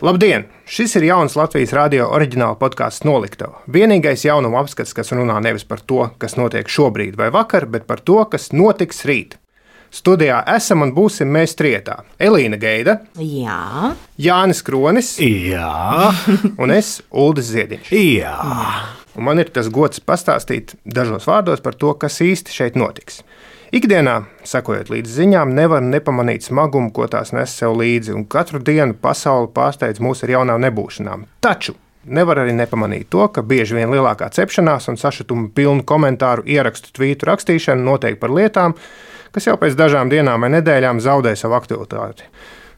Labdien! Šis ir jauns Latvijas radio oriģināla podkāsts Noliktava. Vienīgais jaunuma apskats, kas runā nevis par to, kas notiek šobrīd vai vakar, bet par to, kas notiks rīt. Studijā esam un būsim mēs trietā. Elīna Geida, Jā, Jānis Kronis Jā, un es, Uldis Ziediņš. jā. Un man ir tas gods pastāstīt dažos vārdos par to, kas īsti šeit notiks. Ikdienā, sekojot līdz ziņām, nevar nepamanīt smagumu, ko tās nes sev līdzi, un katru dienu pasauli pārsteidz mūs ar jaunām nebūšanām. Taču nevar arī nepamanīt to, ka bieži vien lielākā cepšanās un sašutuma pilnu komentāru, ierakstu, tvītu rakstīšana notiek par lietām, kas jau pēc dažām dienām vai nedēļām zaudē savu aktualitāti.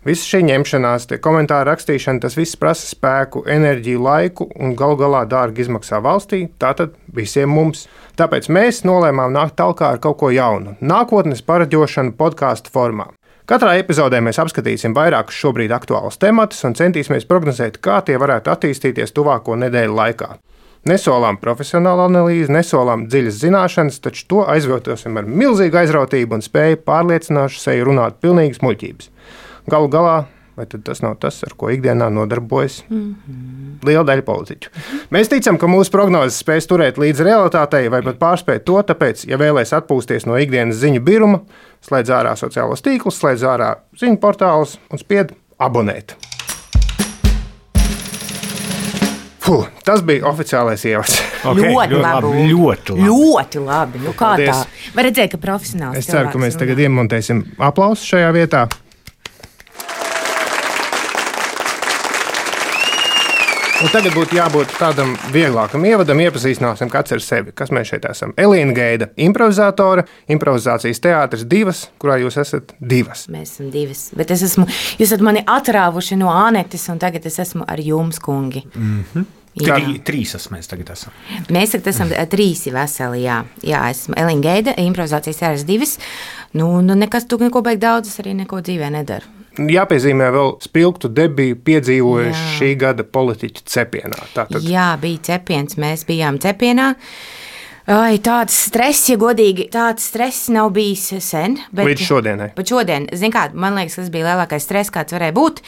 Visa šī ņemšanās, tie komentāru rakstīšana, tas viss prasa spēku, enerģiju, laiku un galu galā dārgi izmaksā valstī, tātad visiem mums. Tāpēc mēs nolēmām nākt talkā ar kaut ko jaunu – nākotnes paraģošanu podkāstu formā. Katrā epizodē mēs apskatīsim vairākus šobrīd aktuālus tematus un centīsimies prognozēt, kā tie varētu attīstīties tuvāko nedēļu laikā. Nesolām profesionālu analīzi, nesolām dziļas zināšanas, taču to aizvietosim ar milzīgu aizrautību un spēju pārliecinošu seju runāt pilnīgas muļķības. Galu galā, vai tas nav tas, ar ko ikdienā nodarbojas liela daļa politiķu. Mēs ticam, ka mūsu prognozes spēs turēt līdz realitātei vai pat pārspēt to, tāpēc, ja vēlēs atpūsties no ikdienas ziņu biruma, slēdz ārā sociālos tīklus, slēdz ārā ziņu portālus un spied abonēt. Tas bija oficiālais ievads. Okay, ļoti labi. Ļoti labi. Nu, kā Paldies. tā? Var redzēt, ka profesionāls. Es ceru, ka mēs tagad iemontēsim aplausus šajā vietā. Un tagad būtu jābūt tādam vieglākam ievadam, iepazīstināsim kāds ar sevi, kas mēs šeit esam. Elīna Geida, improvizātore, improvizācijas teātris Divas, kurā jūs esat divas. Mēs esam divas, bet jūs esat mani atrāvuši no Anetes, un tagad es esmu ar jums, kungi. Jā. Trīs mēs tagad esam. Mēs tagad esam trīsi veseli, jā. Jā, esmu Elīna Geida, improvizācijas teātris Divas. Nu, nekas tu neko beig daudz, es arī neko dzīvē nedaru. Jāpiezīmē vēl spilgtu debiju piedzīvojuši šī gada politiķu cepienā. Tātad. Jā, bija cepiens, mēs bijām cepienā. Ai, tāds stress, ja godīgi, tāds stress nav bijis sen. Līdz šodienai. Bet šodien, zin kā, man liekas, tas bija lielākais stress, kāds varēja būt.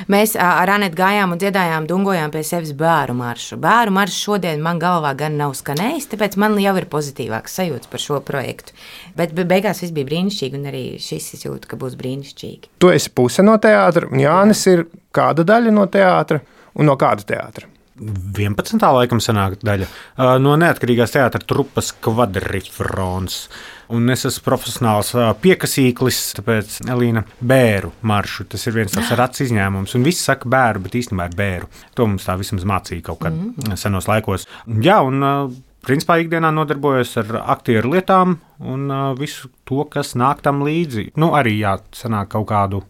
Mēs ar Anetu gājām un dziedājām, dungojām pie sevis bēru maršu. Bēru maršu šodien man galvā gan nav skanējis, tāpēc man jau ir pozitīvāks sajūts par šo projektu. Bet beigās viss bija brīnišķīgi, un arī šis es jūtu, ka būs brīnišķīgi. Tu esi puse no teātra, un Jānis ir kāda daļa no teātra un no kāda teātra? 11. laikam sanāk daļa no neatkarīgās teātra trupas Kvadrifrons. Un es esmu profesionāls piekasīklis, tāpēc Elīna bēru maršu. Tas ir viens tāds rats izņēmums. Un visi saka bēru, bet īstenībā ir bēru. To mums tā vismaz mācīja kaut kad senos laikos. Jā, un principā ikdienā nodarbojos ar aktieru lietām un visu to, kas nāk tam līdzi. Nu, arī sanāk kaut kādu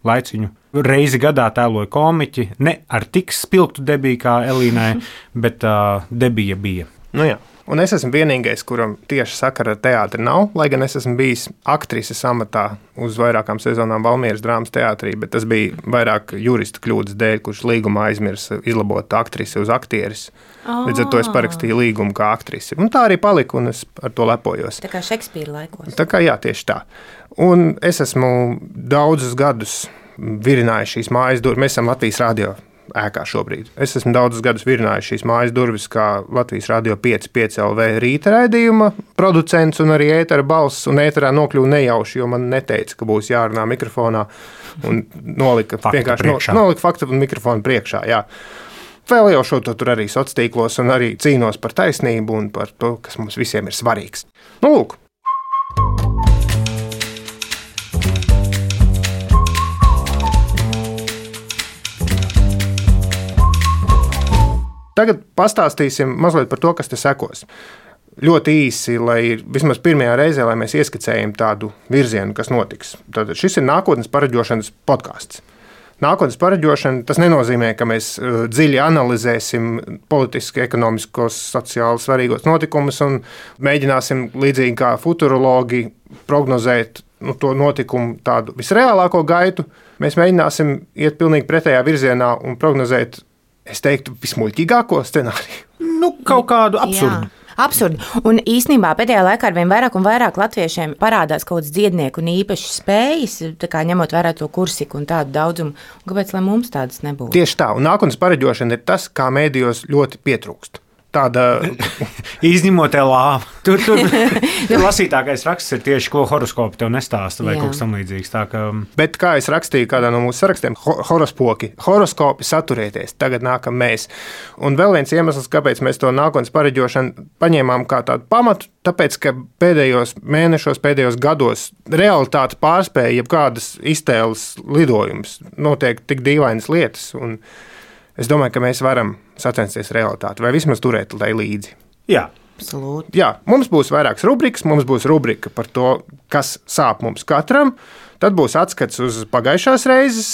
laiciņu. Reizi gadā tēloja komiķi, ne ar tik spilgtu debiju kā Elīnai, bet debija bija. Nu jā. Un es esmu vienīgais, kuram tieši sakara ar teātri nav, lai gan es esmu bijis aktrises amatā uz vairākām sezonām Valmieras drāmas teātrī, bet tas bija vairāk jurista kļūdas dēļ, kurš līgumā aizmirsa izlabot aktrisi uz aktieris. Līdz ar to es parakstīju līgumu kā aktrise. Un tā arī palika, un es ar to lepojos. Tā kā Šekspīra laikos. Tā kā jā, tieši tā. Un es esmu daudzus gadus virinājis šīs mājas durvis. Mēs esam Latvijas radio ēkā šobrīd. Es esmu daudzus gadus virinājis šīs mājas durvis kā Latvijas radio 5 LV rīta raidījuma producents un arī ētera balss, un ēterā nokļuva nejauši, jo man neteica, ka būs jārunā mikrofonā, un nolika faktu un mikrofonu priekšā, jā. Vēl jau šo to tur arī sociālos tīklos un arī cīnos par taisnību un par to, kas mums visiem ir svarīgs. Nu, lūk. Tagad pastāstīsim mazliet par to, kas te sekos. Ļoti īsi, lai vismaz pirmajā reizē, lai mēs ieskicējam tādu virzienu, kas notiks. Tātad šis ir nākotnes paraģošanas podkāsts. Nākotnes paraģošana, tas nenozīmē, ka mēs dziļi analizēsim politiski, ekonomiskos, sociāli svarīgos notikumus un mēģināsim līdzīgi kā futurologi prognozēt to notikumu tādu visreālāko gaitu. Mēs mēģināsim iet pilnīgi pretējā virzienā un prognozēt, es teiktu, vismuļķīgāko scenāriju. Nu, kaut kādu absurdu. Absurdi. Un īstenībā pēdējā laikā ar vien vairāk un vairāk latviešiem parādās kaut kāds dziednieku un īpašas spējas, tā kā ņemot vērā to kursiku un tādu daudzumu. Un kāpēc, lai mums tādas nebūtu? Tieši tā, un nākotnes pareģošana ir tas, kā mēdījos ļoti pietrūkst. Tāda izņemot lāvu. Tur lasītākais raksts ir tieši, ko horoskopi tev nestāsta vai kaut kas tam līdzīgs. Bet kā es rakstīju kādā no mūsu sarakstiem, horoskopi saturieties, tagad nākam mēs. Un vēl viens iemesls, kāpēc mēs to nākotnes pareģošanu paņēmām kā tādu pamatu, tāpēc, ka pēdējos mēnešos, pēdējos gados realitāte pārspēja jebkādas iztēles lidojumus. Notiek tik dīvainas lietas, un es domāju, ka mēs varam sacensties realitāti, vai vismaz turēt tai līdzi. Jā. Absolūti. Jā, mums būs vairākas rubrikas. Mums būs rubrika par to, kas sāp mums katram. Tad būs atskats uz pagājušās reizes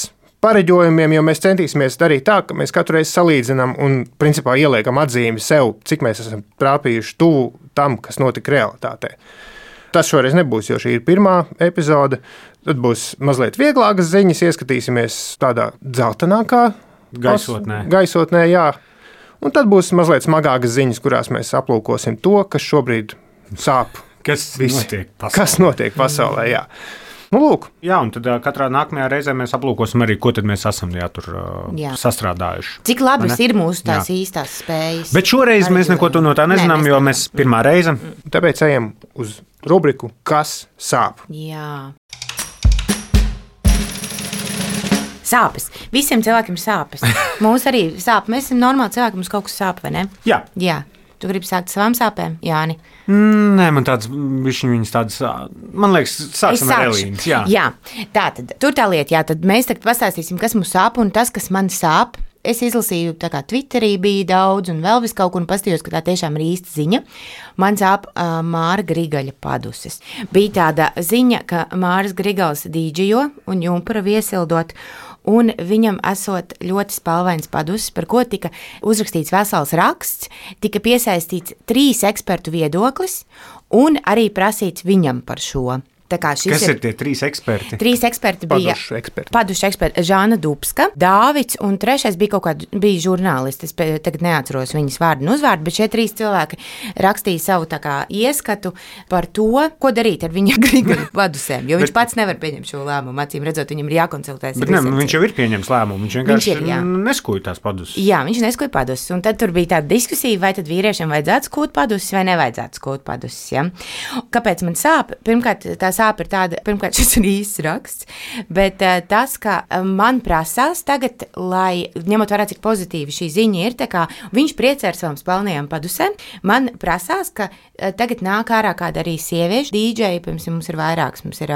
pareģojumiem, jo mēs centīsimies darīt tā, ka mēs katru reizi salīdzinām un principā ieliekam atzīmi sev, cik mēs esam trāpījuši tuvu tam, kas notika realitātē. Tas šoreiz nebūs, jo šī ir pirmā epizode. Tad būs mazliet vieglākas ziņas, ieskatīsimies tādā dzeltenākā gaisotnē, jā. Un tad būs mazliet smagākas ziņas, kurās mēs aplūkosim to, kas šobrīd sāp. Kas notiek pasaulē, jā. Nu, lūk. Jā, un tad katrā nākamajā reizē mēs aplūkosim arī, ko tad mēs esam tur sastrādājuši. Cik labas ir mūsu tās īstās spējas. Bet šoreiz mēs neko no tā nezinām, jo mēs pirmā reize. Tāpēc ejam uz rubriku, kas sāp. Jā. Sāpes. Visiem cilvēkiem ir sāpes. Mums arī sāp. Mēs esam normāli cilvēki, mums kaut kas sāp, vai ne? Jā. Jā. Tu gribi sākt savām sāpēm, Jāni? Nē, man viņas tādas, man liekas, sāksim ar Elīnas. Jā. Tātad, tur tā lieta, tad mēs tagad pastāstīsim, kas mums sāp un tas, kas man sāp. Es izlasīju, tā kā Twitterī bija daudz un vēl vis kaut kur un pastījos, ka tā tiešām ir īsta ziņa. Man sāp Māra Grigaļa paduses. Bija tāda ziņa, ka Māras Grigals dīdžejo un jumpura viesildot, un viņam esot ļoti spalvains paduses, par ko tika uzrakstīts vesels raksts, tika piesaistīts 3 ekspertu viedoklis un arī prasīts viņam par šo. Kas ir tie 3 eksperti? 3 eksperti bija padušu eksperti. Žāna Dubska, Dāvids un 3. bija žurnālisti. Es tagad neatceros viņas vārdu un uzvārdu, bet šie 3 cilvēki rakstīja savu ieskatu par to, ko darīt ar viņa Grigaļa padusēm, jo viņš pats nevar pieņemt šo lēmumu. Acīm redzot, viņam ir jākonsultēs. Bet viņš jau ir pieņems lēmumu, viņš vienkārši neskuja tās paduses. Jā, viņš neskuja paduses, un tad tur bija tāda diskusija, vai tad vīriešiem vajadzētu skūt paduses vai nevajadzētu skūt paduses. Ja? Kāpēc man sāp? Pirmkārt, sāp ir tāda, pirmkārt, šis ir īsts raksts, bet tas, ka man prasās tagad, lai ņemot vērā, cik pozitīvi šī ziņa ir, tā kā viņš priecē ar savām spalnajām padusēm, man prasās, ka tagad nāk ārā kāda arī sieviešu dīdžeja, pirms mums ir vairāks, mums ir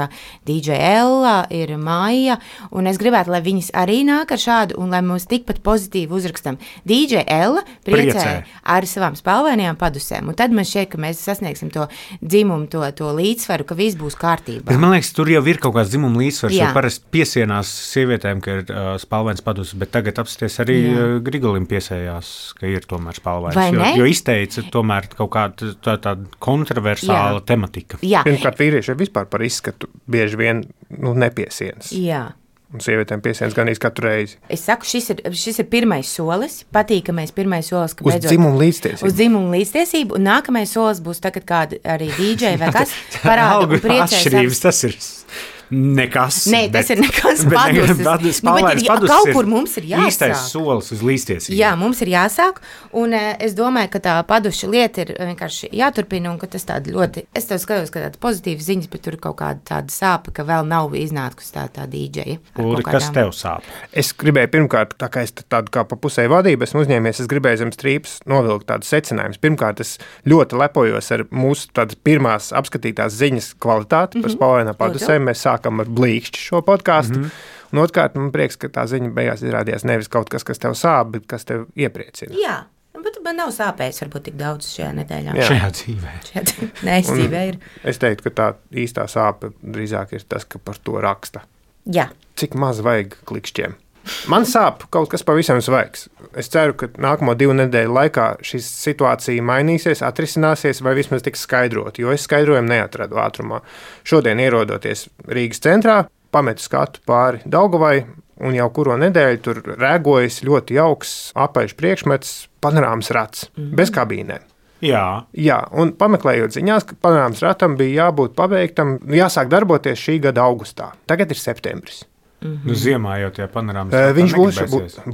dīdžeja Ella, ir Maija, un es gribētu, lai viņas arī nāk ar šādu, un lai mums tikpat pozitīvi uzrakstam. Dīdžeja Ella priecē ar savām spalvainajām padusēm, un tad man šķiet, ka mēs sasniegsim to dzimumu, to līdzsvaru, ka viss būs kārtībā. Bet man liekas, tur jau ir kaut kāds dzimuma līdzsvars, jo parasti piesienās sievietēm, ka ir spalvains paduses, bet tagad apsties arī Grigalim piesējās, ka ir tomēr spalvains. Jo izteica tomēr kaut kāda tāda kontroversāla tematika. Pirmkārt, vīrieši vispār par izskatu bieži vien nepiesienas. Jā. Un sievietēm piesienas gan katru reizi. Es saku, šis ir pirmais solis, patīkamais pirmais solis, ka beidzot uz dzimumu līdztiesību, un nākamais solis būs tagad kāda arī DJ vai kas parāda un priecēs. Atšķirības tas ir nekas. Nē, tas ir nekas paduses. Kaut kur mums ir jāsāk. Īstais solis uz līdztiesību. Jā, mums ir jāsāk, un es domāju, ka tā paduša lieta ir vienkārši jāturpina, un ka tas tāda ļoti, es tev skatos, ka tāda pozitīva ziņas, bet tur ir kaut kāda tāda sāpe, ka vēl nav iznākusi tā dīdžeja. Uli, kas tev sāp? Es gribēju pirmkārt, tā kā es tādu kā pa pusē vadību esmu uzņēmies, es gribēju zem strīpas novilkt tādus secinājumus. Pirmkārt, es ļoti lepojos ar mūsu tādas pirmās apskatītās ziņas kvalitāti par spalvainām padusēm. Mēs sākam ar blīkšķi šo podkāstu. Un otrkārt, man prieks, ka tā ziņa beigās izrādījās nevis kaut kas, kas tev sāp, bet kas tev iepriecina. Jā, bet man nav sāpējis varbūt tik daudz šajā nedēļā. Šajā dzīvē. Nē, dzīvē ir. Es teiktu, ka tā īstā sāpe drīzāk ir tas, ka par to raksta. Jā. Cik maz vajag klikšķiem. Man sāp kaut kas pavisam svaigs. Es ceru, ka nākamo 2 nedēļu laikā šī situācija mainīsies, atrisināsies vai vismaz tiks skaidrot, jo es skaidrojumu neatradu ātrumā. Šodien ierodoties Rīgas centrā, pametu skatu pāri Daugavai un jau kuro nedēļu tur rēgojas ļoti jauks apaļš priekšmets, panorāmas rats, bez kabīnēm. Jā, un pameklējot ziņās, ka panorāmas ratam bija jābūt pabeigtam, jāsāk darboties šī gada augustā. Tagad ir septembris. Nu, ziemā jau tie panorāmas. Viņš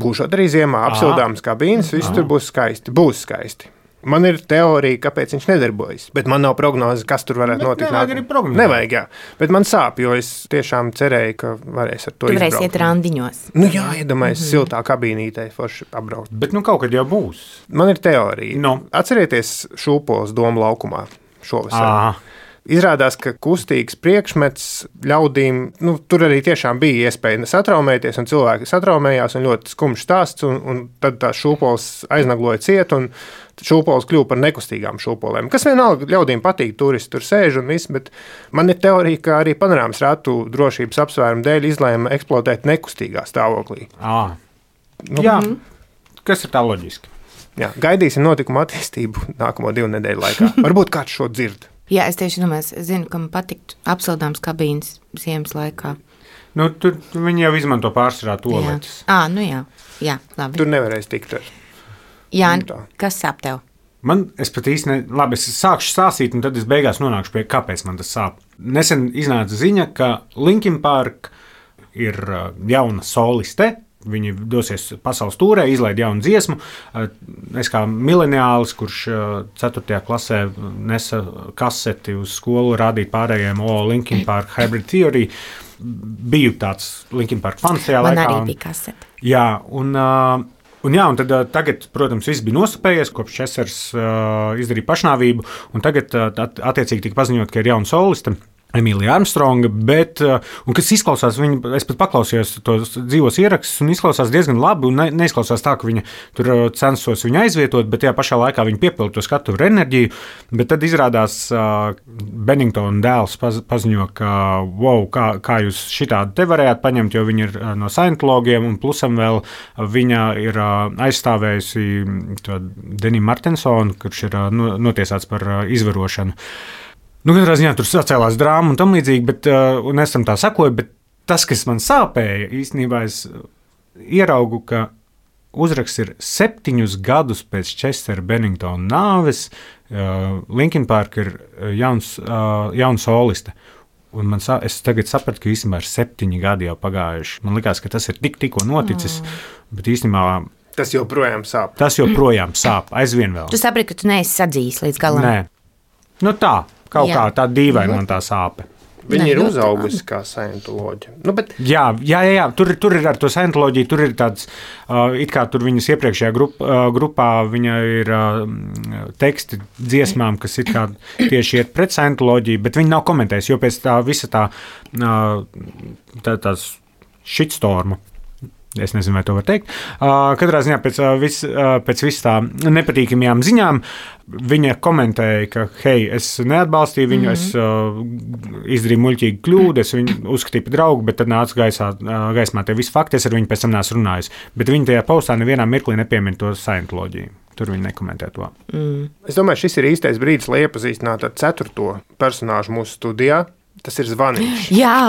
būs arī ziemā, apsildāms kabīnes, viss tur būs skaisti. Būs skaisti. Man ir teorija, kāpēc viņš nedarbojas, bet man nav prognoze, kas tur varētu notikt. Nevajag arī prognozēt. Nevajag, jā. Bet man sāp, jo es tiešām cerēju, ka varēs ar to izbraukt. Tu varēsi iet randiņos. Nu jā, iedomājies siltā kabīnītē forši apbraukt. Bet nu kaut kad jau būs. Man ir teorija. No. Atcerieties Šūpoles domu laukumā šovasar. Aha. Izrādās, ka kustīgs priekšmets ļaudīm, tur arī tiešām bija iespēja satraumēties, un cilvēki satraumējās, un ļoti skumjš stāsts, un tad tā šūpoles aiznagloja ciet, un šūpoles kļuva par nekustīgām šūpolēm. Kas vienalga ļaudīm patīk, turisti tur sēž un viss, bet man ir teorija, ka arī panorāmas ratu drošības apsvērumu dēļ izlēma eksploatēt nekustīgā stāvoklī. Jā, kas ir tā loģiski? Jā, gaidīsim notikumu attīstību nākamo 2 nedēļu laikā. Varbūt kāds šo dzird. Jā, es tieši domāju, es zinu, ka man patiktu apsildāms kabīnes ziemas laikā. Nu, tur viņi jau izmanto pārsvarā toaletes. Jā, labi. Tur nevarēs tikt ar. Jā, kas sāp tev? Es pat īsti labi, es sākšu stāstīt, un tad es beigās nonākšu pie, kāpēc man tas sāp. Nesen iznāca ziņa, ka Linkin Park ir jauna soliste. Viņi dosies pasaules tūrē, izlaid jaunu dziesmu. Es kā mileniālis, kurš 4. klasē nesa kaseti uz skolu, rādīt pārējiem Linkin Park Hybrid Theory. Biju tāds Linkin Park fans tajā laikā. Man arī bija kasete. Jā, un tad tagad, protams, viss bija nosapējies, kopš Česers izdarīja pašnāvību, un tagad attiecīgi tika paziņot, ka ir jauna soliste. Emīlija Armstronga, kas izklausās, es pat paklausījos tos dzīvos ierakstus, un izklausās diezgan labi, un neizklausās tā, ka viņa tur censos viņu aizvietot, bet tajā pašā laikā viņa piepilda to skatuvi ar enerģiju, bet tad izrādās Benningtona dēls paziņo, ka, kā jūs šitādi te varējāt paņemt, jo viņa ir no Scientologiem, un plusam vēl viņa ir aizstāvējusi to Deniju Martensonu, kurš ir notiesāts par izvarošanu. Katrā ziņā tur sacēlās drāma un tam līdzīgi, un es tam tā sakoju, bet tas, kas man sāpēja, īstenībā es ieraugu, ka uzraksts ir 7 gadus pēc Chester Benningtona nāves, Linkin Park ir jauna soliste. Un es tagad sapratu, ka īstenībā ir 7 gadi jau pagājuši. Man likās, ka tas ir tikko noticis, bet īstenībā tas joprojām sāp. Aizvien vēl. Tu saprati, ka tu neesi sadzījis līdz galam? Nē. Tā. Kā tā dīvaina man tā sāpe. Viņi ir uzaugusi kā Scientoloģi. Jā, tur ir ar to Scientoloģiju, tur ir tāds, it kā tur viņas iepriekšējā grupā viņa ir teksti dziesmām, kas it kā tieši iet pret Scientoloģiju, bet viņi nav komentējuši, jo pēc tā visa tās shitstorma. Es nezinu, vai to var teikt. Katrā ziņā pēc vis tā nepatīkamajām ziņām viņa komentēja, ka, hei, es neatbalstīju viņu, es izdarīju muļķīgu kļūdu, es viņu uzskatīju par draugu, bet tad nāca gaismā tie visi fakti, es ar viņu pēc tam neesmu runājis. Bet viņi tajā postā nevienā mirklī nepiemin to Scientoloģiju. Tur viņi nekomentē to. Es domāju, šis ir īstais brīdis, lai iepazīstinātu ar 4. personāžu mūsu studijā. Tas ir Zvaniņš. Jā!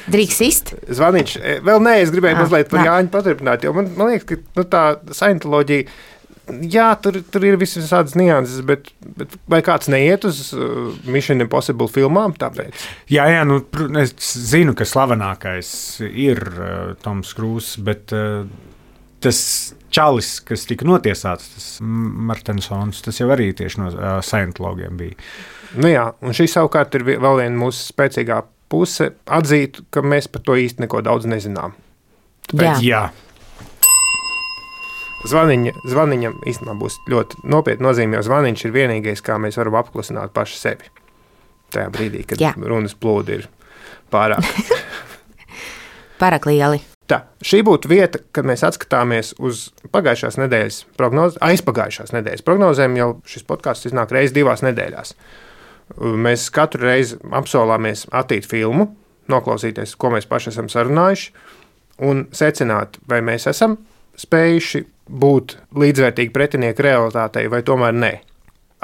Drīkst izst? Zvaniņš. Vēl nē, es gribēju mazliet par Jāņu paturpināt, jo man liekas, ka tā Scientoloģija, jā, tur ir visādas nianses, bet vai kāds neiet uz Mission Impossible filmām tāpēc? Jā, es zinu, ka slavenākais ir Toms Krūzs, bet tas čalis, kas tika notiesāts, tas Martensons, tas jau arī tieši no Scientologiem bija. Jā, un šī savukārt ir vēl viena mūsu spēcīgā puse atzīt, ka mēs par to īsti neko daudz nezinām. Tāpēc, jā. Zvaniņam īstenībā būs ļoti nopietni nozīme, jo Zvaniņš ir vienīgais, kā mēs varam apklusināt paši sevi. Tajā brīdī, kad runas plūdi ir pārāk lieli. Tā, šī būtu vieta, kad mēs atskatāmies uz pagājušās nedēļas aizpagājušās nedēļas prognozēm, jau šis podcasts iznāk reiz 2 nedēļās. Mēs katru reizi apsolāmies attīt filmu, noklausīties, ko mēs paši esam sarunājuši, un secināt, vai mēs esam spējuši būt līdzvērtīgi pretinieki realitātei, vai tomēr nē.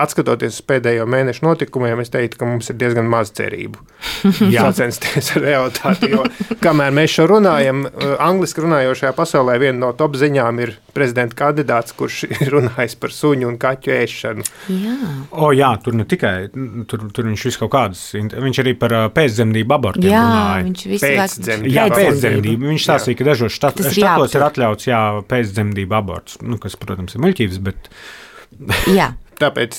atskatoties uz pēdējo mēnešu notikumiem, es teiktu, ka mums ir diezgan maz cerību sacensties ar realitāti. Jo, kamēr mēs šo runājam, angliski runājošajā pasaulē viena no top ziņām ir prezidenta kandidāts, kurš ir runājis par suņu un kaķu ēšanu. Jā, tur ne tikai, tur viņš visu kaut kādus, viņš arī par pēcdzemdību abortiem runāja. Viņš visu pēcdzemdību. Viņš stāstīja, ka dažos štatos ir atļauts pēcdzemdību aborts, kas, protams, ir muļķības, bet... Jā. Tāpēc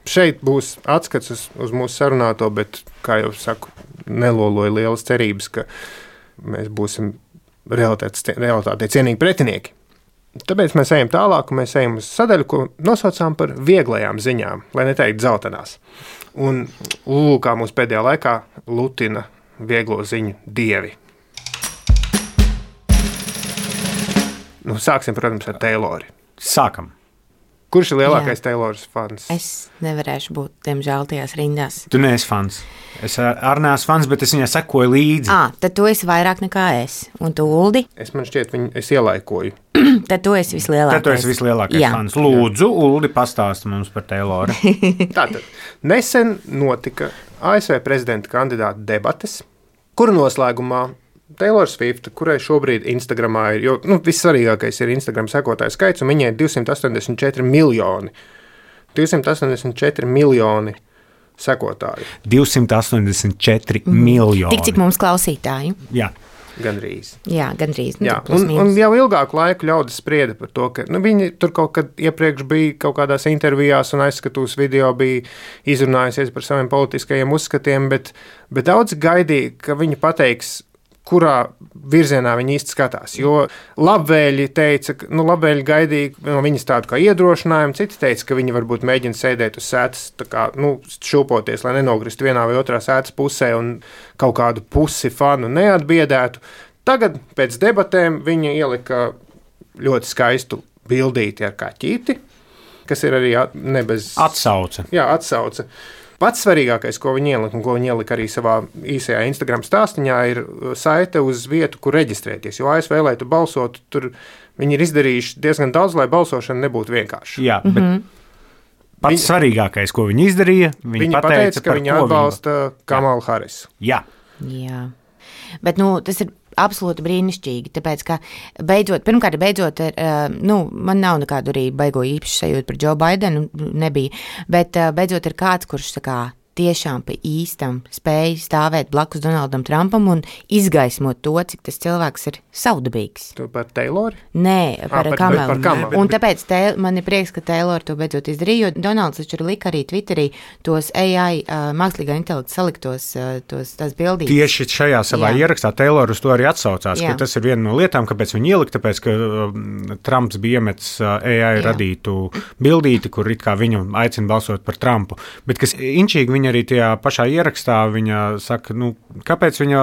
šeit būs atskats uz mūsu sarunāto, bet, kā jau saku, neloloju lielas cerības, ka mēs būsim realitātei cienīgi pretinieki. Tāpēc mēs ejam tālāk, un mēs ejam uz sadaļu, ko nosaucām par vieglajām ziņām, lai neteikt dzeltenās. Un kā mūsu pēdējā laikā lutina vieglo ziņu dievi. Sāksim, protams, ar Taylori. Sākam. Kurš ir lielākais Tayloras fans? Es nevarēšu būt, diemžēl, tajās rindās. Tu neesi fans. Es arī neesmu fans, bet es viņai sekoju līdzi. Tad tu esi vairāk nekā es. Un tu, Uldi? Man šķiet, es ielaikoju. Tad tu esi vislielākais. Fans. Lūdzu, Uldi, pastāsti mums par Tayloru. Tātad, nesen notika ASV prezidenta kandidāta debates, kuru noslēgumā Taylor Swift, kurai šobrīd Instagramā ir, jo vissvarīgākais ir Instagram sekotāju skaits, un viņai ir 284 miljoni. 284 miljoni sekotāju. 284 miljoni. Tik cik mums klausītāji. Jā. Gandrīz. Jā, gandrīz. Jā, un jau ilgāku laiku ļaudis sprieda par to, ka viņi tur kaut kad iepriekš bija kaut kādās intervijās un aizskatūs video bija izrunājusies par saviem politiskajiem uzskatiem, bet daudz gaidīja, ka viņi pateiks, kurā virzienā viņi īsti skatās. Jo labvēļi teica, labvēļi gaidīja no viņas tādu kā iedrošinājumu, citi teica, ka viņi varbūt mēģina sēdēt uz sētas, tā kā, šūpoties, lai nenogrist vienā vai otrā sētas pusē un kaut kādu pusi fanu neatbiedētu. Tagad pēc debatēm viņa ielika ļoti skaistu bildīti ar kaķīti, kas ir arī nebez... Atsauce. Jā, atsauce. Pats svarīgākais, ko viņi ielika, un ko viņi ielika arī savā īsajā Instagram stāstiņā, ir saite uz vietu, kur reģistrēties. Jo ASV, lai tu balsotu, tur viņi ir izdarījuši diezgan daudz, lai balsošana nebūtu vienkārši. Jā, bet pats svarīgākais, ko viņi izdarīja, viņi pateica, ka viņi atbalsta Kamalu Harisu. Jā. Bet tas ir absolūti brīnišķīgi, tāpēc, ka pirmkārt, man nav nekādu arī baigo īpašu sajūtu par Joe Bidenu, nebija, bet beidzot ir kāds, kurš tiešām pa īstam spēja stāvēt blakus Donaldam Trumpam un izgaismot to, cik tas cilvēks ir savdabīgs. Tu par Taylori? Nē, par Kamalu. Un tāpēc man ir prieks, ka Taylor to beidzot izdarīja, jo Donalds taču lika arī Twitterī tos AI, mākslīgā intelekta saliktos tās bildītes. Tieši šajā savā ierakstā Taylor uz to arī atsaucās, ka tas ir viena no lietām, kāpēc viņi ielika, tāpēc, ka Trumps bija iemetis AI radītu bildīti, kur it kā viņu aicina balsot par Trumpu. Bet kas inčīgi viņa arī tajā pašā ierakstā viņa saka, kāpēc viņa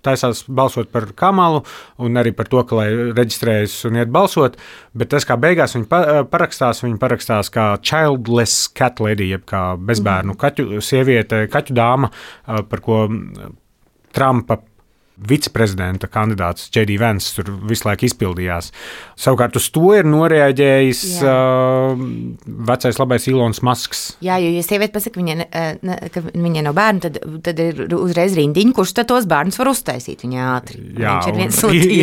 taisās balsot par Kamalu un arī par to, ka lai reģistrējas un iet balsot, bet tas kā beigās viņa parakstās kā childless cat lady, jeb kā bezbērnu kaķu sieviete, kaķu dāma, par ko Trumpa viceprezidenta kandidāts J.D. Vance tur visu laiku izpildījās. Savukārt uz to ir noreaģējis vecais labais Ilons Masks. Jā, jo ja sieviete pasaka, ka viņai nav bērnu, tad ir uzreiz rindiņa, kurš tad tos bērnus var uztaisīt viņa ātri. Jā,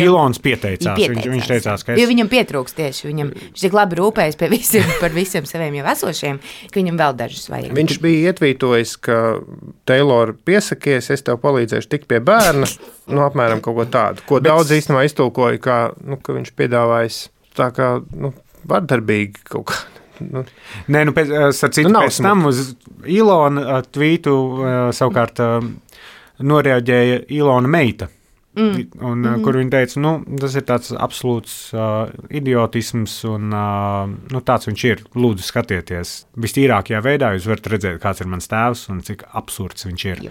Ilons pieteicās. Viņš teicās, ka jo viņam pietrūks tieši. Viņš tik labi rūpējas par visiem saviem jau esošiem, ka viņam vēl dažus vajag. Viņš bija ietvītojis, ka Taylor piesakies, es tev palīdzēšu tik pie bērna. Apmēram kaut ko tādu, ko daudz īstenībā iztulkoja, ka viņš piedāvājis tā kā vardarbīgi kaut kā. Nē, pēc tam uz Ilona tvītu savukārt noreaģēja Ilona meita, kur viņa teica, tas ir tāds absolūts idiotisms un tāds viņš ir. Lūdzu, skatieties. Vistīrākajā veidā jūs varat redzēt, kāds ir mans tēvs un cik absurds viņš ir.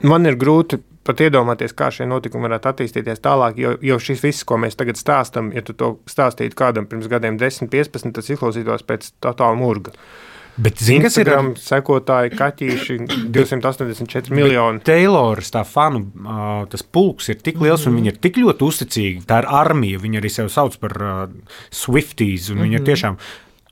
Man ir grūti pat iedomāties, kā šie notikumi varētu attīstīties tālāk, jo šis viss, ko mēs tagad stāstam, ja tu to stāstītu kādam pirms gadiem 10, 15, tas izklausītos pēc totāla murga. Bet Instagram sekotāji, kaķīši, 284 miljoni. Tayloras tā fanu, tas pulks ir tik liels un viņi ir tik ļoti uzticīgi. Tā ir armija, viņi arī sev sauc par Swifties un viņi ir tiešām...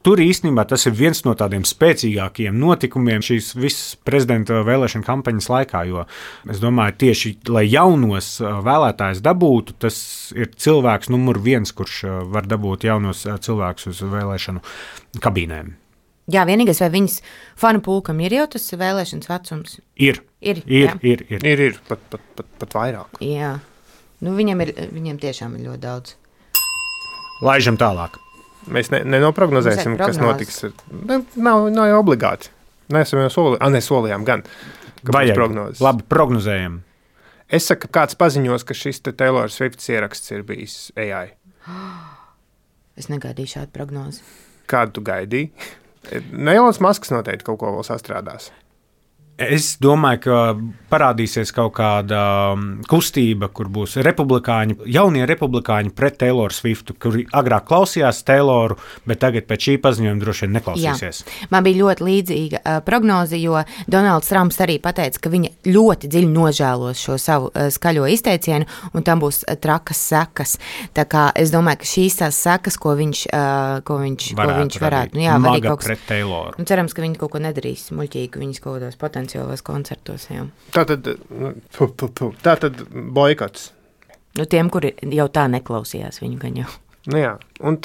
tur īstenībā tas ir viens no tādiem spēcīgākajiem notikumiem šīs visas prezidenta vēlēšana kampaņas laikā, jo es domāju, tieši, lai jaunos vēlētājus dabūtu, tas ir cilvēks numur 1, kurš var dabūt jaunos cilvēkus uz vēlēšanu kabīnēm. Jā, vienīgais, vai viņas fanu pulkam ir jau tas vēlēšanas vecums? Ir. Pat vairāk. Jā. Nu, viņiem tiešām ir ļoti daudz. Laižam tālāk. Mēs nenoprognozēsim, kas notiks. Nav jau obligāti. Neesam jau solījām gan. Vajag. Labi, prognozējam. Es saku, kāds paziņos, ka šis Taylor Swifts ieraksts ir bijis AI. Es negaidīju šādu prognozi. Kādu tu gaidīji? Elons Masks noteikti kaut ko vēl sastrādās. Es domāju, ka parādīsies kaut kāda kustība, kur būs jaunie republikāņi pret Taylor Swiftu, kuri agrāk klausījās Tayloru, bet tagad pēc šī paziņojuma droši vien neklausīsies. Jā. Man bija ļoti līdzīga prognoze, jo Donalds Trumps arī pateica, ka viņa ļoti dziļi nožēlos šo savu skaļo izteicienu, un tam būs trakas sekas. Tā kā es domāju, ka šīs tās sekas, ko viņš varētu. Jā, maga pret Tayloru. Cerams, ka viņi kaut ko nedarīs muļķīgi, viņas kaut kādos potenciālos koncertos. Jā. Tātad boikots. Nu, tiem, kuri jau tā neklausījās viņu gan jau. Nu jā, un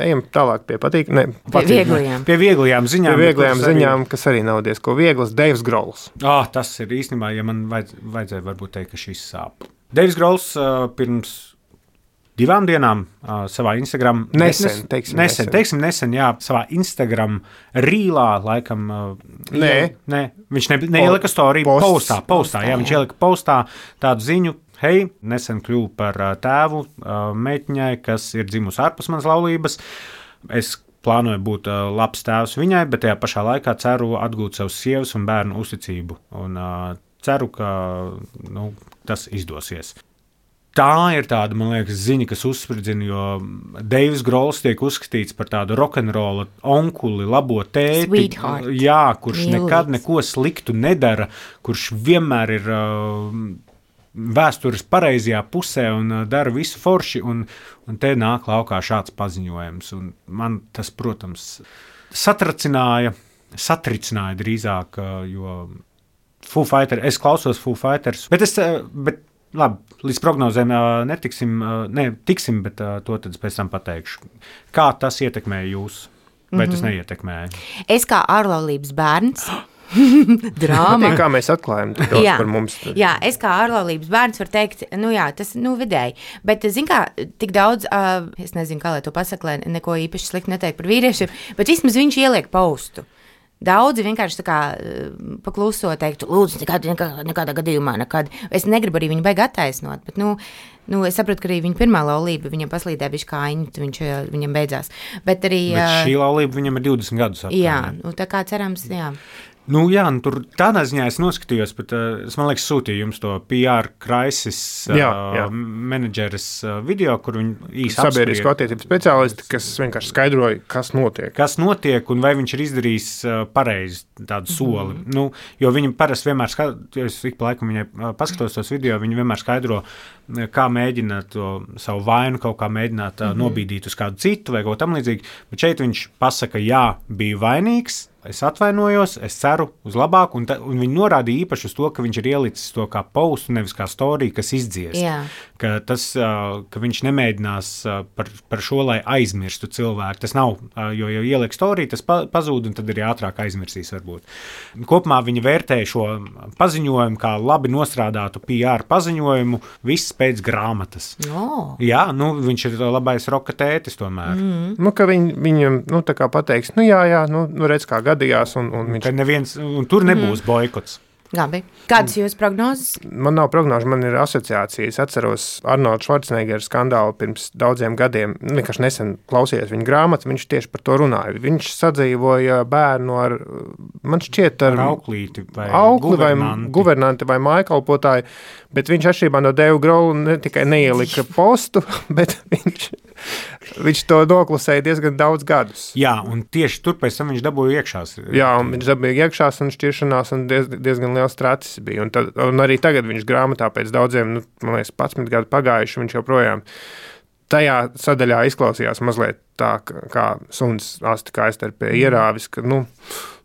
ejam tālāk pie Pie vieglajām ziņām, kas arī nav diezko vieglas. Deivs Grols. Tas ir īstenībā, ja man vajadzēja varbūt teikt, ka šis sāp. Deivs Grols pirms 2 dienām savā Instagram... Nesen, jā, savā Instagram rīlā, laikam... Nē, viņš neielika story, postā, jā, viņš ielika postā tādu ziņu, hei, nesen kļuvu par tēvu meitiņai, kas ir dzimusi ārpus manas laulības. Es plānoju būt labs tēvs viņai, bet tajā pašā laikā ceru atgūt savus sievas un bērnu uzticību. Un ceru, ka tas izdosies. Tā ir tāda, man liekas, ziņa, kas uzspridzina, jo Deivs Grols tiek uzskatīts par tādu rokenrola onkuli, labo tēti, jā, kurš nekad neko sliktu nedara, kurš vienmēr ir vēstures pareizajā pusē un dara visu forši, un te nāk laukā šāds paziņojums. Un man tas, protams, satricināja drīzāk, jo Foo Fighters, es klausos Foo Fighters, bet labi, līdz prognozēm tiksim, bet to tad pēc tam pateikšu. Kā tas ietekmēja jūs? Vai tas neietekmēja? Es kā ārlaulības bērns... Drāma. Kā mēs atklājam par mums? Jā, es kā ārlaulības bērns varu teikt, tas vidēji. Bet, zin kā, tik daudz, es nezinu, kā lai to pasaka, lai neko īpaši slikti neteikt par vīriešiem, bet vismaz viņš ieliek postu. Daudzi vienkārši tā kā pakluso teiktu, lūdzu, nekādā gadījumā nekad. Es negribu arī viņu baigi attaisnot, bet, es saprotu, ka arī viņa pirmā laulība viņam paslīdē bišķi kājiņu, viņam beidzās. Bet arī... Bet šī laulība viņam ir 20 gadus atpakaļ. Jā, tā kā cerams, jā. Tur tādā ziņā es noskatījos, bet es, man liekas, sūtīju jums to PR Crisis menedžeres video, kur viņi īsti sabiedrisko attiecību speciālisti, kas vienkārši skaidroja, kas notiek. Kas notiek un vai viņš ir izdarījis pareizi tādu soli. Jo viņi parasti vienmēr es ik pa laikam viņai paskatos tos video, viņi vienmēr skaidro, kā mēģināt to savu vainu kaut kā mēģināt nobīdīt uz kādu citu vai kaut tam līdzīgi. Bet šeit viņš pasaka, jā, biju vainīgs, es atvainojos, es ceru uz labāku, un viņi norādīja īpaši uz to, ka viņš ir ielicis to kā postu, nevis kā storiju, kas izdzies. Jā. Ka viņš nemēģinās par šo, lai aizmirstu cilvēku. Tas nav, jo ieliek storiju, tas pazūd, un tad arī ātrāk aizmirsīs varbūt. Kopumā viņi vērtēja šo paziņojumu kā labi nostrādātu PR paziņojumu, viss pēc grāmatas. Oh. Jā, viņš ir labais roka tētis tomēr. Ka viņam, tā kā pateiks, redz, kā gadījās, un viņš... Un tur nebūs boikots. Labi. Kādas jūs prognozes? Man nav prognožu, man ir asociācija. Es atceros Arnolda Švarcneģera skandālu pirms daudziem gadiem. Vienkārši nesen klausījos viņa grāmatu, viņš tieši par to runāja. Viņš sadzīvoja bērnu ar, man šķiet, ar auklīti vai guvernanti vai mājkalpotāju, bet viņš atšķirībā no Deiva Grola ne tikai neielika postu, bet viņš to noklusēja diezgan daudz gadus. Jā, un tieši tur pēc tam viņš dabūja iekšās. Jā, un viņš dabūja iekšās un šķiršanās un diezgan liels tracis bija. Un arī tagad viņš grāmatā pēc daudziem, man liekas, 11 gadu pagājuši, viņš joprojām tajā sadaļā izklausījās mazliet tā, kā suns asti kaistarpē ierāvis, ka,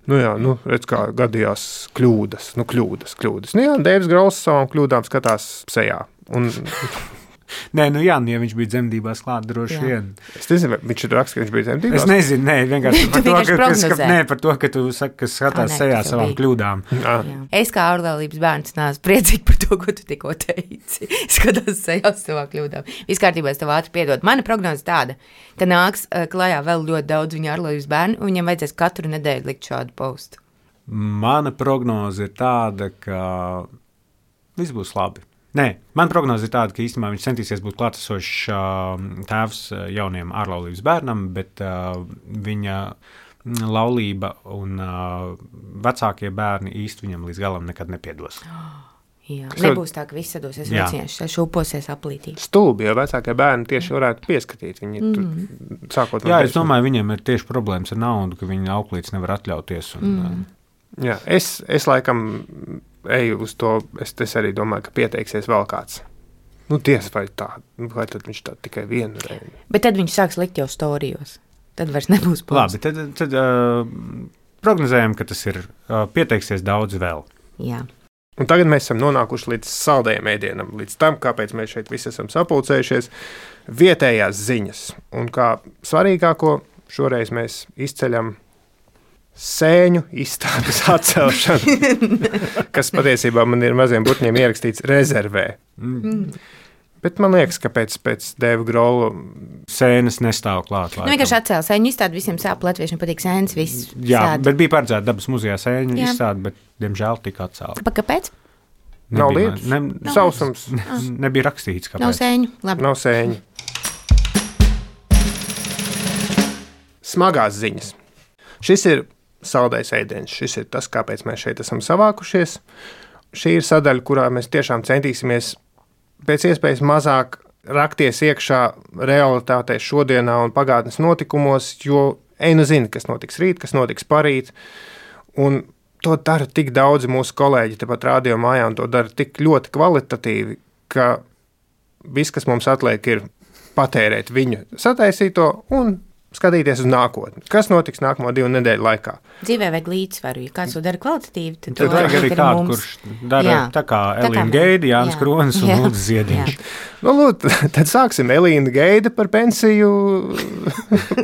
redz, kā gadījās kļūdas. Nu jā, Deivs Grauls savām kļūdām skatās sejā. Nē, ja viņš bija dzemdībās klāt, droši vien. Es nezinu, viņš ir raksts, ka viņš bija dzemdībās. Es nezinu, vienkārši par to, ka tu saki, ka skatās sejā savām kļūdām. Jā. Es kā ārlaulības bērns nāc priecīgi par to, ko tu tikko teici. Skatās sejā savām kļūdām. Viss kārtībā, es tev ātri piedod. Mana prognoze tāda, ka nāks klajā vēl ļoti daudz viņa ārlaulības bērnu, un viņam vajadzēs katru nedēļu likt šādu postu. Mana prognoze ir tāda, ka viss būs labi. Nē, man prognoze ir tāda, ka īstenībā viņš centīsies būt klātesošs tēvs jauniem ārlaulības bērnam, bet viņa laulība un vecākie bērni īsti viņam līdz galam nekad nepiedos. Jā, nebūs tā, ka viss sadosies vecieši, šūposies aplītī. Stulbi, jo vecākie bērni tieši varētu pieskatīt. Viņi sākot no es domāju, viņiem ir tieši problēmas ar naudu, ka viņi auklītes nevar atļauties. Jā, es laikam eju uz to, es arī domāju, ka pieteiksies vēl kāds. Tiesa vai tā, vai tad viņš tā tikai vienu reizi. Bet tad viņš sāks likt jau storijos. Tad vairs nebūs posts. Labi, tad prognozējam, ka tas ir pieteiksies daudz vēl. Jā. Un tagad mēs esam nonākuši līdz saldējiem ēdienam, līdz tam, kāpēc mēs šeit visi esam sapulcējušies, vietējās ziņas. Un kā svarīgāko šoreiz mēs izceļam sēņu izstādes atcelšanu, kas patiesībā man ir maziem burtņiem ierakstīts rezervē. Bet man liekas, ka pēc Deiva Grola sēnes nestāv klāt. Vienkārši atcēla sēņu izstādi, visiem sāp, latviešiem patīk sēnes, viss Jā, bet bija paredzēta Dabas muzejā sēņu izstādi, bet, diemžēl, tika atcelta. Kāpēc? Nav lietus, sausums. Nebija rakstīts, kāpēc. Nav sēņu, labi. Nav sēņu. Smagās ziņas. Šis ir saldais ēdiens. Šis ir tas, kāpēc mēs šeit esam savākušies. Šī ir sadaļa, kurā mēs tiešām centīsimies pēc iespējas mazāk rakties iekšā realitātē šodienā un pagātnes notikumos, jo zina, kas notiks rīt, kas notiks parīt. Un to dara tik daudzi mūsu kolēģi tepat radio mājā, un to dara tik ļoti kvalitatīvi, ka viss, kas mums atliek, ir patērēt viņu sataisīto un skatīties uz nākotni. Kas notiks nākamo 2 nedēļu laikā? Dzīvē vajag līdzsvaru. Ja kāds to dara kvalitatīvi, tad vajag arī kādu, kurš dara tā kā Elīna Geida, Jānis Kronis un Lūdzu Ziediņš. Tad sāksim Elīna Geida par pensiju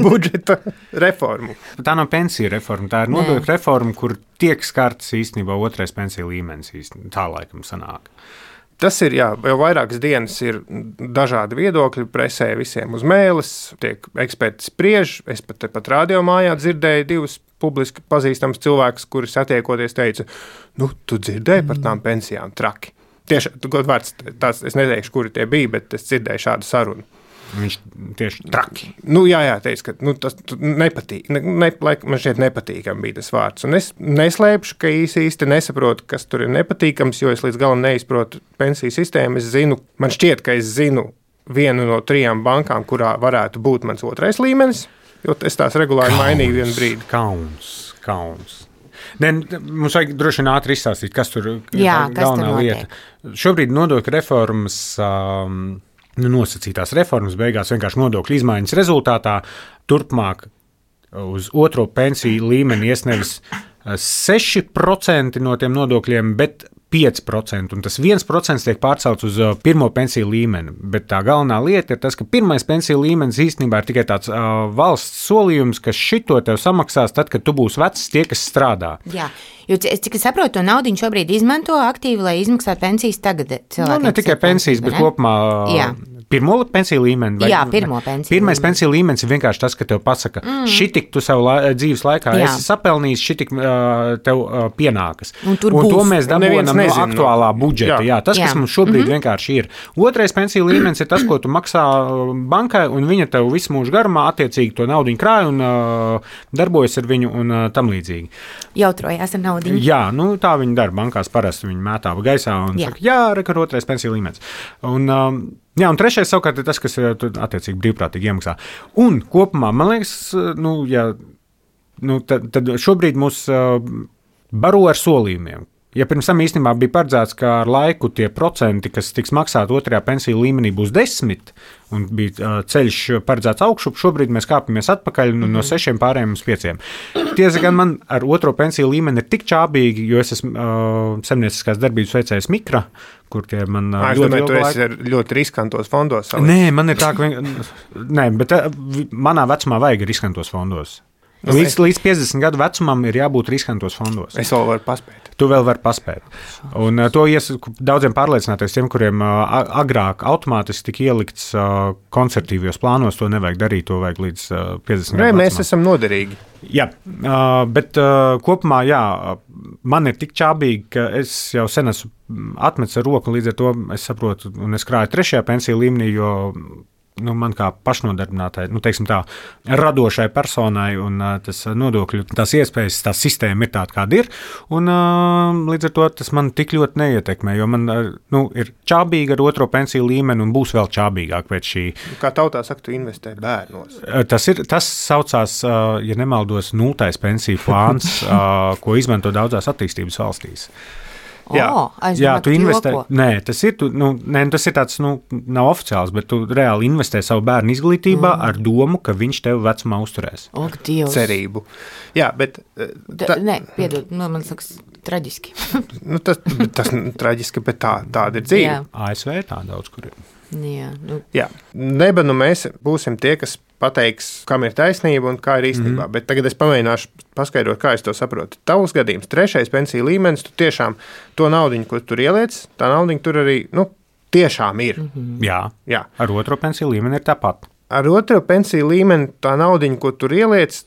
budžeta reformu. Tā nav pensiju reforma, tā ir nodokļu reforma, kur tiek skarts īstenībā 2. pensiju līmenis. Tā laikam sanāk. Tas ir, jau vairākas dienas ir dažādi viedokļi, presē visiem uz mēles, tiek eksperti spriež. Es pat radio mājā dzirdēju 2 publiski pazīstams cilvēkus, kuri satiekoties teica, tu dzirdēji par tām pensijām traki. Tieši, godvārds, es neteikšu, kuri tie bija, bet es dzirdēju šādu sarunu. Viņš tieši traki. Jā, teica, ka tas nepatīk. Man šķiet nepatīkam bija tas vārds. Un es neslēpšu, ka īsti nesaprotu, kas tur ir nepatīkams, jo es līdz galam neizprotu pensiju sistēmu. Man šķiet, ka es zinu vienu no 3 bankām, kurā varētu būt mans 2. līmenis, jo es tās regulāri mainīju vienu brīdi. Kauns. Mums vajag droši vien ātri izstāstīt, kas tur ir galvenā lieta. Šobrīd nodokļu reformas nosacītās reformas beigās vienkārši nodokļu izmaiņas rezultātā turpmāk uz 2. pensiju līmeni ies nevis 6% no tiem nodokļiem, bet 5%, un tas 1% tiek pārcelts uz 1. pensiju līmeni. Bet tā galvenā lieta ir tas, ka 1. pensiju līmenis īstenībā ir tikai tāds valsts solījums, ka šito tev samaksās tad, kad tu būsi vecs tie, kas strādā. Jā, jo cik es saprotu, to naudu šobrīd izmanto aktīvi, lai izmaksātu pensijas tagad cilvēkiem. Ne tikai pensijas, bet kopumā pirmo pensiju līmeni. Jā, pirmo pensiju. Pirmais pensiju līmenis ir vienkārši tas, ka tev pasaka, šitik tu savu dzīves laikā esi sapelnījis, šitik tev pienākas. Un to mēs dabūjam no aktuālā budžeta. Jā, tas, kas mums šobrīd vienkārši ir. 2. pensiju līmenis ir tas, ko tu maksā bankai, un viņa tev visu mūžu garumā attiecīgi to naudu krāj un darbojas ar viņu un tam līdzīgi. Jautrojās ar naudu. Jā, tā viņi dara. Bankās parasti viņi mētā gaisā un saka, reka 2. pensiju līmenis. Un 3. savukārt ir tas, kas ir attiecīgi brīvprātīgi iemaksā. Un kopumā, man liekas, tad šobrīd mūs baro ar solījumiem. Ja pirms tam īstenībā bija paredzēts, ka ar laiku tie procenti, kas tiks maksāti otrajā pensiju līmenī, būs 10, un bija ceļš paredzēts augšup, šobrīd mēs kāpamies atpakaļ no 6 pārējiem uz 5. Tiesa gan man ar otro pensiju līmeni ir tik čābīgi, jo es esmu saimnieciskās darbības veicējs Mikra, kur tie man ļoti ilgu laiku. Tu esi ļoti riskantos fondos. Nē, man ir tā, ka nē, bet manā vecumā vajag riskantos fondos. Līdz 50 gadu vecumam ir jābūt riskantos fondos. Es vēl varu paspēt. Tu vēl vari paspēt. Un to daudziem pārliecināties, tiem, kuriem agrāk automātiski tika ielikts konservatīvos plānos, to nevajag darīt, to vajag līdz 50 gadu vecumam. Mēs esam noderīgi. Jā, bet kopumā, jā, man ir tik čābīgi, ka es jau sen esmu atmetis ar roku, līdz ar to es saprotu, un es krāju 3. pensiju līmenī, jo man kā pašnodarbinātai, teiksim tā, radošai personai un tas nodokļu, tās iespējas, tā sistēma ir tāda, kāda ir, un līdz ar to tas man tik ļoti neietekmē, jo man ir čābīgi ar otro pensiju līmeni un būs vēl čābīgāk pēc šī. Kā tautā saka, tu investē bērnos. Tas saucās, ja nemaldos, 0. pensiju plāns, ko izmanto daudzās attīstības valstīs. Jā, tu investē. Nē, tas ir, tas ir tāds, nav oficiāls, bet tu reāli investē savu bērnu izglītībā ar domu, ka viņš tev vecumā uzturēs. Ak, Dievs. Cerību. Jā, bet... Nē, piedod, man liekas, traģiski. Tas traģiski, bet tāda ir dzīve. Jā. ASV tā daudz, kur ir. Jā. Neba, mēs būsim tie, kas pateiks, kam ir taisnība un kā ir īstenībā. Bet tagad es pamēģināšu paskaidrot, kā es to saprotu. Tavs gadījums, 3. pensiju līmenis, tu tiešām to naudiņu, ko tur ieliec, tā naudiņa tur arī, tiešām ir. Jā. Ar otro pensiju līmeni ir tāpat. Ar otro pensiju līmeni tā naudiņa, ko tur ieliec,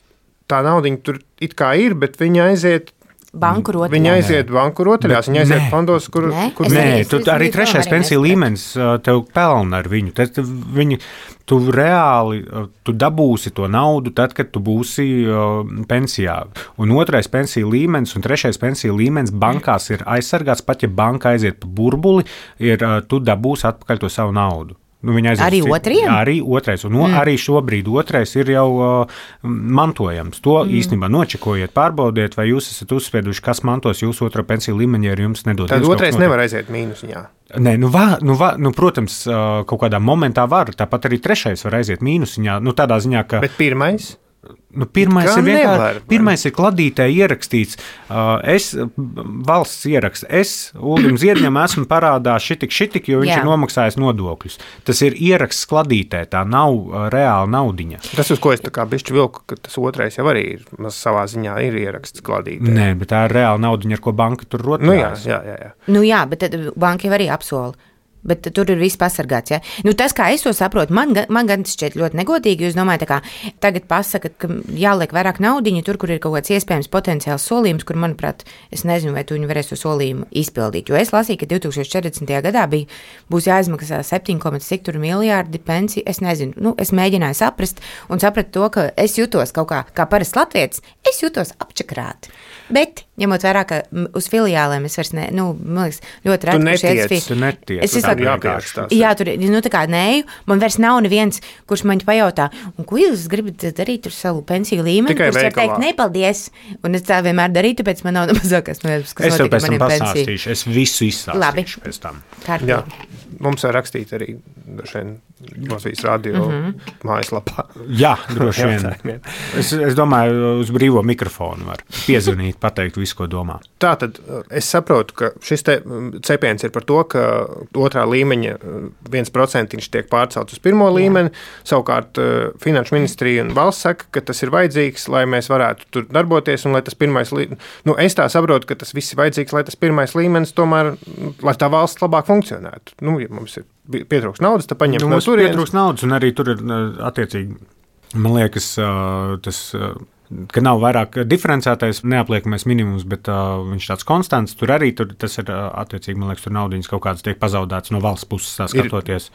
tā naudiņa tur it kā ir, bet viņa aiziet banku rotaļās. Viņa aiziet banku rotaļās, viņa aiziet fondos, kur... Nē, tu arī 3. pensiju līmenis tev pelna ar viņu. Tu reāli dabūsi to naudu tad, kad tu būsi pensijā. Un 2. pensiju līmenis un 3. pensiju līmenis bankās ir aizsargāts, pat ja banka aiziet pa burbuli, tu dabūsi atpakaļ to savu naudu. Arī otriem? Arī otrais. Un arī šobrīd otrais ir jau mantojams. To īstenībā nočekojiet, pārbaudiet, vai jūs esat uzspieduši, kas mantos jūsu otro pensiju līmeni, ja jums nedod. Tad otrais nevar aiziet mīnusiņā. Nē, protams, kaut kādā momentā var. Tāpat arī 3. var aiziet mīnusiņā. Tādā ziņā, ka... Bet 1? Pirmais ir kladītē ierakstīts, valsts ieraksts, Uldim Ziedņam esmu parādā šitik, jo viņš ir nomaksājis nodokļus. Tas ir ieraksts kladītē, tā nav reāla naudiņa. Tas, uz ko es tā kā bišķi vilku, ka tas otrais jau arī ir, savā ziņā ir ieraksts kladītē. Nē, bet tā ir reāla naudiņa, ar ko banka tur rotaļās. Jā, bet tad banka jau arī apsola. Bet tur ir viss pasargāts. Ja? Tas, kā es to saprotu, man gan tas šķiet ļoti negodīgi. Jūs domājat, ka tagad pasaka, ka jāliek vairāk naudiņa tur, kur ir kaut kāds iespējams potenciāls solījums, kur, manuprāt, es nezinu, vai tu viņi varēs to solījumu izpildīt. Jo es lasīju, ka 2040. gadā būs jāizmaksā 7,6 miljārdi pensiju. Es nezinu, es mēģināju saprast un sapratu to, ka es jutos kaut kā parasts latvietis, es jutos apčakrāti. Bet, ņemot vērā, ka uz filiālēm es vairs man liekas, ļoti reti, tu netiec. Jā, tur tā kā neju, man vairs nav neviens, kurš man pajautā, un ko jūs gribat darīt ar savu pensiju līmeni, kurš var teikt, nepaldies, un es tā vienmēr darītu, tāpēc man nav nemazākās nojautas, kas notika maniem pensiju. Es visu izstāstīšu pēc tam. Jā, mums var rakstīt arī Latvijas radio mājaslapā. Jā, droši vien. Es domāju, uz brīvo mikrofonu var piezvanīt, pateikt visu, ko domā. Tātad es saprotu, ka šis cepiens ir par to, ka otrā līmeņa 1% tiek pārcelts uz pirmo līmeni. Savukārt Finanšu ministrija un valsts saka, ka tas ir vajadzīgs, lai mēs varētu tur darboties un lai tas pirmais līmenis. Es tā saprotu, ka tas viss ir vajadzīgs, lai tas pirmais līmenis tomēr, lai tā valsts labāk funkcionētu. Ja mums ir pietrūks naudas, tad paņemt no turienes. Pietrūks naudas un arī tur ir attiecīgi, man liekas, tas, ka nav vairāk diferencētais neapliekamais minimums, bet viņš tāds konstants, tur arī tas ir attiecīgi, man liekas, tur naudiņas kaut kādas tiek pazaudētas no valsts puses, tā skatoties.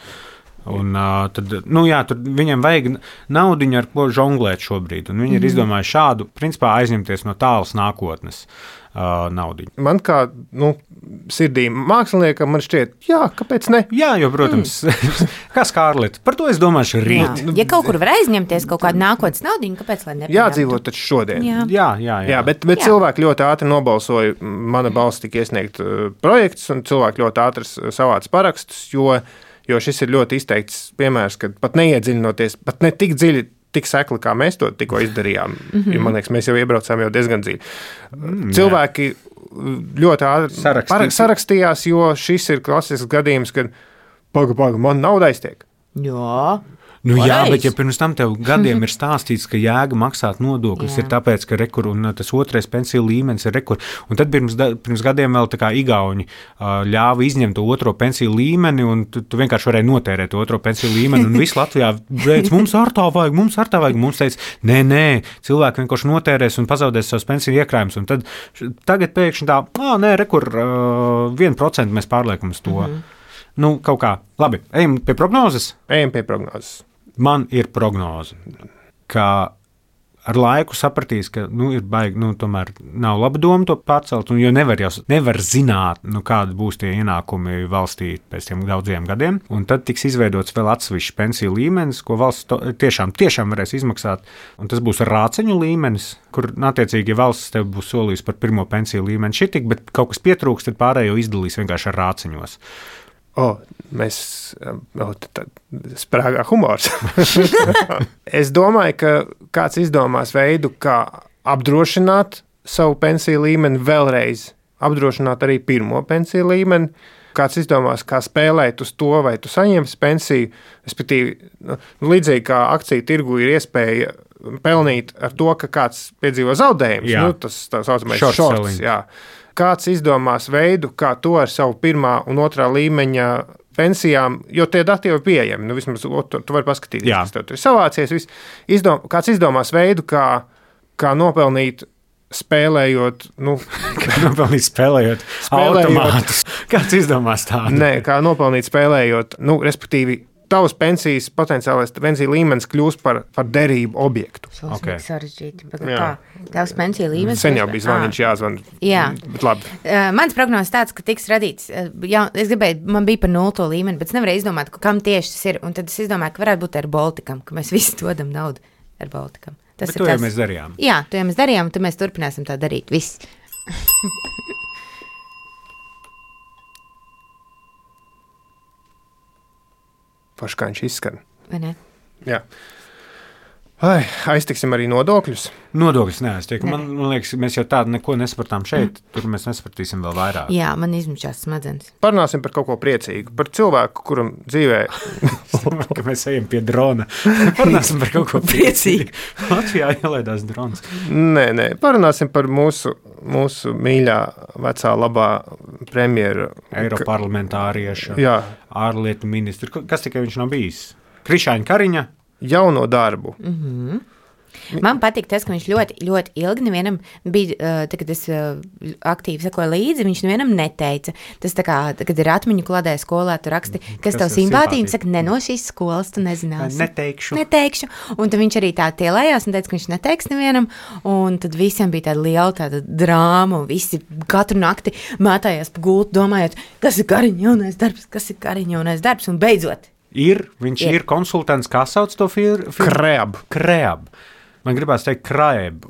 Un, tad, tur viņiem vajag naudiņu, ar ko žonglēt šobrīd. Un viņi ir izdomājuši šādu, principā, aizņemties no tālas nākotnes naudiņu. Man kā sirdī māksliniekam, man šķiet, kāpēc ne? Jā, jo, protams, kā Skārleta, par to es domāšu rīt. Ja kaut kur var aizņemties kaut kādu nākotnes naudiņu, kāpēc lai nepaņemtu? Jādzīvo taču šodien. Jā, bet cilvēki ļoti ātri nobalsoja, mana balss tika iesniegt projekts, un cilvēki ļoti ātri savāca parakstus, jo šis ir ļoti izteikts piemērs, kad pat neiedziļinoties, pat ne tik dziļi, tik sekli, kā mēs to tikko izdarījām. Man liekas, mēs jau iebraucām jau diezgan dziļi. Cilvēki ļoti ātri sarakstījās, jo šis ir klasisks gadījums, kad paga, man nauda aiztiek. Jā. Jā, bet ja pirms tam tev gadiem ir stāstīts, ka jēga maksāt nodokļus ir tāpēc, ka rekur un tas otrais pensiju līmenis ir rekur. Un tad pirms gadiem vēl tā kā igauņi ļāva izņemt to otro pensiju līmeni, un tu vienkārši varēji notērēt to otro pensiju līmeni, un visu Latvijā veic, mums ar tā vajag. Mums teica, nē, cilvēki vienkārši notērēs un pazaudēs savus pensiju iekrājumus. Un tad tagad pēkšņi tā, rekur 1% mēs pārliekam uz to. Kaut kā. Labi, ejam pie prognozes? Ejam pie prognozes. Man ir prognoze, ka ar laiku sapratīs, ka ir baigi, tomēr nav laba doma to pārcelt, jo nevar zināt, kādi būs tie ienākumi valstī pēc tiem daudziem gadiem, un tad tiks izveidots vēl atsevišķs pensiju līmenis, ko valsts tiešām varēs izmaksāt, un tas būs rāceņu līmenis, kur, attiecīgi, ja valsts tev būs solījis par pirmo pensiju līmeni šitik, bet kaut kas pietrūks, tad pārējo izdalīs vienkārši ar rāceņos. Sprāgā humors. Es domāju, ka kāds izdomās veidu, kā apdrošināt savu pensiju līmeni vēlreiz, apdrošināt arī pirmo pensiju līmeni. Kāds izdomās, kā spēlēt uz to, vai tu saņemsi pensiju, respektīvi, līdzīgi kā akciju tirgu ir iespēja pelnīt ar to, ka kāds piedzīvo zaudējumus, tas tā saucamais shorts. Kāds izdomās veidu, kā to ar savu pirmā un otrā līmeņa pensijām, jo tie dati jau ir pieejami, vismaz tu vari paskatīties, kas tev tur ir savācies. Kāds izdomās veidu, kā nopelnīt spēlējot, kā nopelnīt spēlējot automātus. Kāds izdomās tādu? Nē, kā nopelnīt spēlējot, respektīvi, tavs pensijas potenciālais pensiju līmenis kļūst par derību objektu. Okay. Sarežģīti. Tavs pensiju līmenis. Sen jau bija zvaniņš jāzvan. Jā. Bet labi. Mans prognozes tāds, ka tiks radīts, es gribēju, man bija par 0 līmeni, bet es nevarēju izdomāt, kam tieši tas ir. Un tad es izdomāju, ka varētu būt ar Baltikam, ka mēs visi dodam naudu ar Baltikam. Bet to jau mēs darījām. Jā, to jau mēs darījām, un tad mēs turpināsim tā darīt. Viss. Paši kā viņš izskan. Vai ne? Jā. Aiztiksim arī nodokļus. Nodokļus neaiztiek. Man liekas, mēs jau tādu neko nesapratām šeit. Tur mēs nesapratīsim vēl vairāk. Jā, man izmušās smadzenes. Parunāsim par kaut ko priecīgu. Par cilvēku, kuram dzīvē... ka mēs ejam pie drona. Parunāsim par kaut ko priecīgu. Latvijā ielaidās drons. Nē. Parunāsim par mūsu mīļā, vecā, labā premjera. Eiroparlamentārieša. Jā. Ārlietu ministru. Kas tikai viņš nav bijis? Krišāņa Kariņa. Jauno darbu. Man patīk tas, ka viņš ļoti, ļoti ilgi nevienam bija, kad es aktīvi sekoju līdzi, viņš nevienam neteica. Tas tā kā, kad ir atmiņu kladē skolā, tu raksti, kas tev simpātija, un saka, no šīs skolas tu nezināsi. Neteikšu. Un tad viņš arī tā tielējās un teica, ka viņš neteiks nevienam, un tad visiem bija tāda liela tāda drāma, un visi katru nakti mētājās pa gultu, domājot, kas ir Kariņa jaunais darbs, un beidzot. Viņš ir konsultants, kā sauc to firmu? Kreab. Man gribās teikt krēb,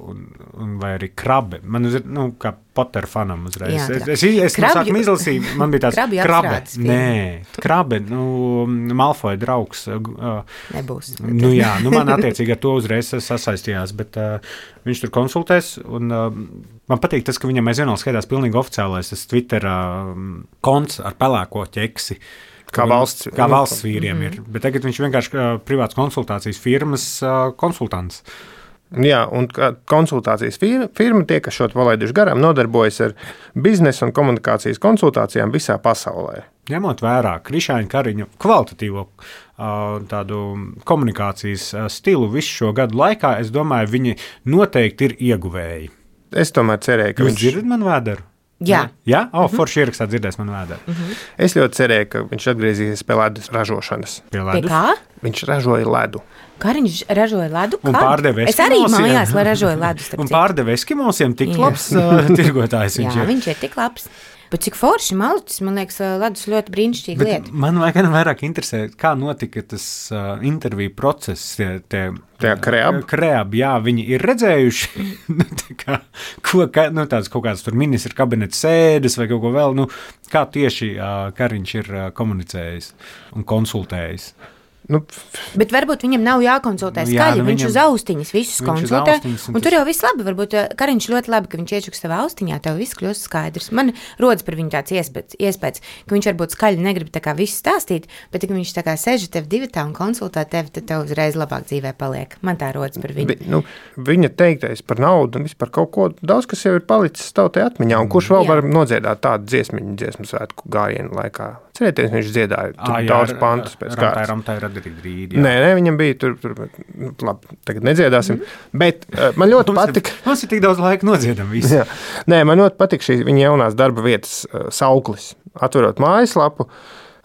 vai arī krabe. Man ir, kā Potter fanam uzreiz. Es no sākuma izlasīju, man bija tāds krabe. Nē, krabe, Malfoja draugs. Nebūs. Man attiecīgi ar to uzreiz sasaistījās, bet viņš tur konsultēs, un man patīk tas, ka viņam aizvien vēl skaitās pilnīgi oficiālais tas Twitter konts ar pelēko ķeksi. Kā valsts vīriem ir. Bet tagad viņš vienkārši privāts konsultācijas firmas konsultants. Jā, un konsultācijas firma, tie, kas šo palaiduši garām, nodarbojas ar biznesa un komunikācijas konsultācijām visā pasaulē. Ņemot vērā Krišāņa Kariņa kvalitatīvo tādu komunikācijas stilu visu šo gadu laikā, es domāju, viņi noteikti ir ieguvēji. Es tomēr cerēju, ka Jūs dzirdat man vēderu? Jā. Jā? Forši ierakstā dzirdēs man vēdā. Es ļoti cerēju, ka viņš atgriezīsies pie ledus ražošanas. Pie Pie ledus. kā? Viņš ražoja ledu. Kariņš ražoja ledu? Un Kad? pārdeva Es arī eskimosiem. mājās ražoju ledu. starp Un citu. pārdeva eskimosiem tik Jā. labs tirgotājs viņš Jā, ir. viņš ir tik labs. Bet cik forši malucis, man liekas, ledus ļoti brīnišķīga Bet lieta. man vairāk interesē, kā notika tas interviju process. Tie kreabi? Jā, viņi ir redzējuši, tādas kaut kādas tur ministra kabineta sēdes vai kaut ko vēl. Kā tieši Kariņš ir komunicējis un konsultējis? Bet varbūt viņam nav jākonsultē Nu, jā, skaļi. Viņš viņam- uz austiņas visus viņš uz konsultē. austiņas, un Un tur tas- jau viss labi. Varbūt Kariņš ļoti labi, ka viņš iečuks savā austiņā. Tev viss kļūst skaidrs. Man rodas par viņu tāds iespējas, ka viņš varbūt skaļi negrib tā kā visu stāstīt, bet, ja viņš tā kā sēž tev divatā un konsultē tevi, tad tev uzreiz labāk dzīvē paliek. Man tā rodas par viņu. Bet, viņa teiktais par naudu un vispār kaut ko daudz, kas jau ir palicis tautai atmiņā. Un kurš vēl Jā. var nodziedāt tādu dziesmu svētku gājienu laikā? Cerieties, viņš dziedāja daudz pantus pēc kārtas. Ramtai radīt rīdi. Nē, viņam bija tur labi, tagad nedziedāsim. Bet man ļoti patika. Mums ir tik daudz laika nodziedam visu. Jā. Nē, man ļoti patīk šī viņa jaunās darba vietas sauklis. Atverot mājaslapu,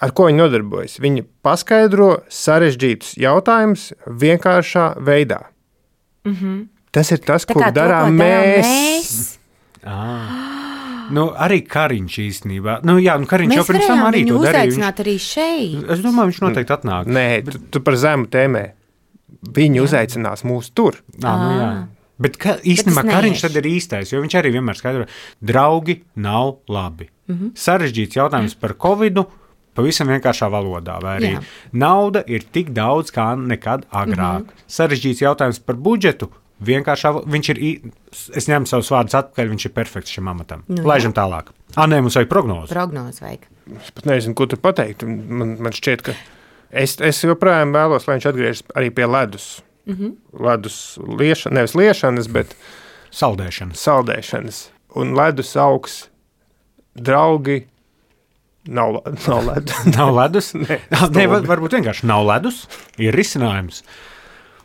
ar ko viņi nodarbojas. Viņi paskaidro sarežģītus jautājumus vienkāršā veidā. Tas ir tas, Tā ko kā to, darām ko mēs. Arī Kariņš īstenībā. Kariņš jau Mēs pirms tam varējām arī viņu to darīja. uzaicināt arī šeit. Es domāju, viņš noteikti atnāk. Nē, tu par zemu tēmē. Viņi uzaicinās mūs tur. Jā. Bet īstenībā es Kariņš neiešu. tad ir īstais, jo viņš arī vienmēr skaidro, draugi nav labi. Sarežģīts jautājums par Covidu. Pavisam vienkāršā valodā, vai arī Jā. nauda ir tik daudz kā nekad agrāk. Sarežģīts jautājums par budžetu. Viņš ir, es ņemu savus vārdus atpakaļ, viņš ir perfekts šim amatam. Laižam tālāk. Nē, mums vajag prognozi. Prognozi vajag. Es pat nezinu, ko tur pateikt. Man šķiet, ka es joprojām vēlos, lai viņš atgriežas arī pie ledus. Ledus liešanas, nevis liešanas, bet Saldēšana. saldēšanas. Un ledus augs, draugi, nav ledus. Nav ledus? Nē, Varbūt vienkārši nav ledus. Ir risinājums.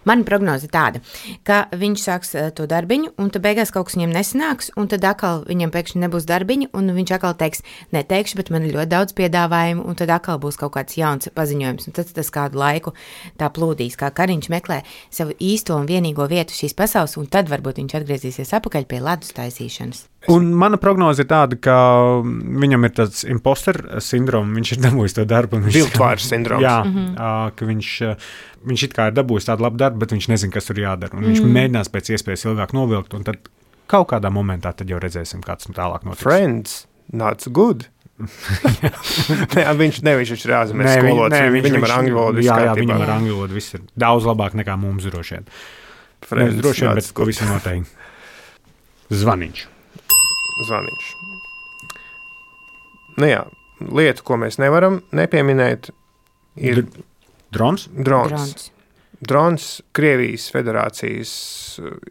Mana prognoze ir tāda, ka viņš sāks to darbiņu, un tad beigās kaut kas viņam nesanāks, un tad atkal viņam pēkšņi nebūs darbiņa, un viņš atkal teiks, neteikšu, bet man ir ļoti daudz piedāvājumu, un tad atkal būs kaut kāds jauns paziņojums, un tad tas kādu laiku tā plūdīs, kā Kariņš meklē savu īsto un vienīgo vietu šīs pasaules, un tad varbūt viņš atgriezīsies atpakaļ pie ledus taisīšanas. Un mana prognoze ir tāda, ka viņam ir tāds imposter sindroms, viņš ir dabūjis to darbu. Viltvārs sindroms. Jā, ka viņš it kā ir dabūjis tādu labu darbu, bet viņš nezina, kas tur jādara. Un viņš mēģinās pēc iespējas ilgāk novilkt, un tad kaut kādā momentā tad jau redzēsim, kāds tālāk notiks. Friends, not good. viņš ir ārzemēs skolotājs. Viņam ar angļu valodu viss jā, kārtībā. viņam ar angļu valodu viss ir daudz labāk nekā mums droši vien. Nevis droši vien, bet pavisam noteikti. Zvaniņš. Jā, lieta, ko mēs nevaram nepieminēt, ir drons. Drons, Krievijas Federācijas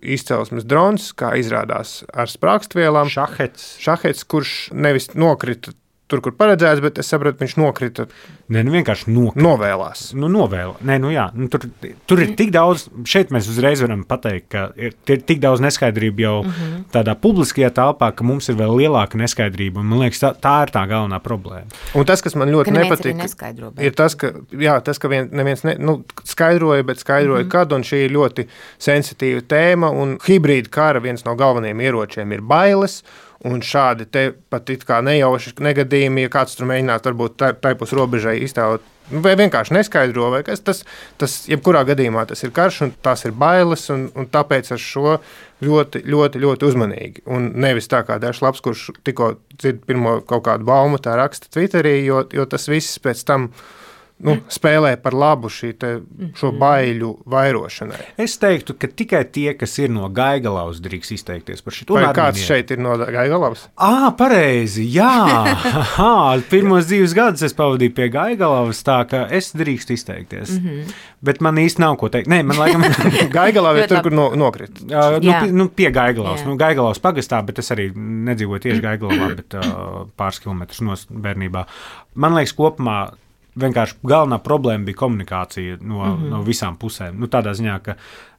izcelsmes drons, kā izrādās ar sprākstvielām. Šahets, kurš nevis nokrita tur, kur paredzēts, bet es sapratu, viņš nokrita. Nē, vienkārši nokrita. Novēlās. Tur ir tik daudz, šeit mēs uzreiz varam pateikt, ka ir tik daudz neskaidrību jau tādā publiskajā telpā, ka mums ir vēl lielāka neskaidrība. Man liekas, tā ir tā galvenā problēma. Un tas, kas man ļoti nepatīk, ir tas, ka neviens skaidroja, bet skaidroja, kad, un šī ir ļoti sensitīva tēma, un hibrīda kara viens no galvenajiem ieročiem ir bailes. Un šādi te pat it kā nejauši negadījumi, ja kāds tur mēģinātu varbūt taipus robežai iztēlot, vai vienkārši neskaidro, vai kas tas jebkurā gadījumā tas ir karš, un tās ir bailes, un tāpēc ar šo ļoti, ļoti, ļoti uzmanīgi. Un nevis tā kā Dažs Labs, kurš tikko dzird pirmo kaut kādu baumu, tā raksta Twitterī, jo tas viss pēc tam spēlē par labu šo baiļu vairošanai. Es teiktu, ka tikai tie, kas ir no Gaigalavas, drīkst izteikties par šito. Vai kāds šeit ir no Gaigalavas? Pareizi, jā. Pirmos 2 gadus es pavadīju pie Gaigalavas, tā ka es drīkst izteikties. Bet man īsti nav ko teikt. Nē, man laikam Gaigalava ir tur, kur nokrit. Pie Gaigalavas. Gaigalavas pagastā, bet es arī nedzīvoju tieši Gaigalavā, bet pāris kilometrus no bērnībā. Man liekas, kopumā vienkārši galvenā problēma bija komunikācija no visām pusēm. Tādā ziņā, ka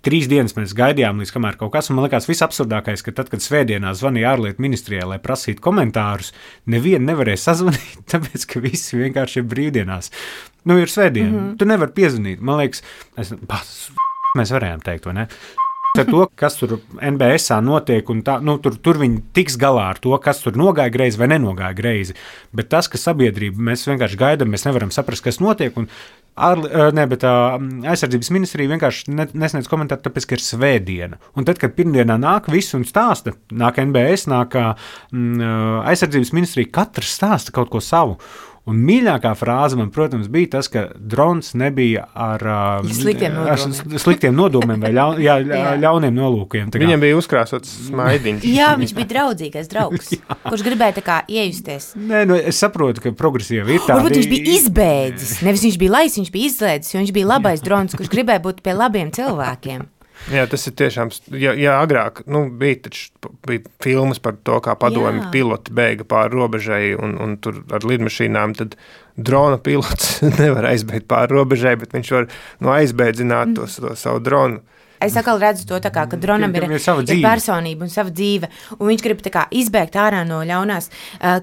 3 dienas mēs gaidījām, līdz kamēr kaut kas, un man liekas visabsurdākais, ka tad, kad svētdienā zvanīja ārlietu ministrijai, lai prasītu komentārus, nevienu nevarēja sazvanīt, tāpēc, ka visi vienkārši ir brīvdienās. Ir svētdiena, tu nevari piezvanīt. Man liekas, mēs varējām teikt, vai ne? Ar to, kas tur NBS notiek, un tā, tur viņi tiks galā ar to, kas tur nogāja greizi vai nenogāja greizi. Bet tas, ka sabiedrība, mēs vienkārši gaidām, mēs nevaram saprast, kas notiek, un aizsardzības ministrija vienkārši nesniedz komentāru, tāpēc, ka ir svētdiena. Un tad, kad pirmdienā nāk viss un stāsta, nāk NBS, nāk aizsardzības ministrija, katrs stāsta kaut ko savu. Un mīļākā frāze man, protams, bija tas, ka drons nebija ar sliktiem nodomiem vai ļauniem nolūkiem. Viņam bija uzkrāsots smaidiņš. Jā, viņš bija draudzīgais draugs, kurš gribēja tā kā iejusties. Nē, es saprotu, ka progresīvi ir tādi. Varbūt viņš bija izbēdzis, nevis viņš bija lais, viņš bija izslēdzis, jo viņš bija labais drons, kurš gribēja būt pie labiem cilvēkiem. Jā, tas ir tiešām, ja agrāk bija filmas par to, kā padomju piloti bēga pāri robežai un tur ar lidmašīnām, tad drona pilots nevar aizbēgt pāri robežai, bet viņš var aizbēdzināt to savu dronu. Es atkal redzu to, ka dronam ir personība un sava dzīve, un viņš grib izbēgt ārā no ļaunās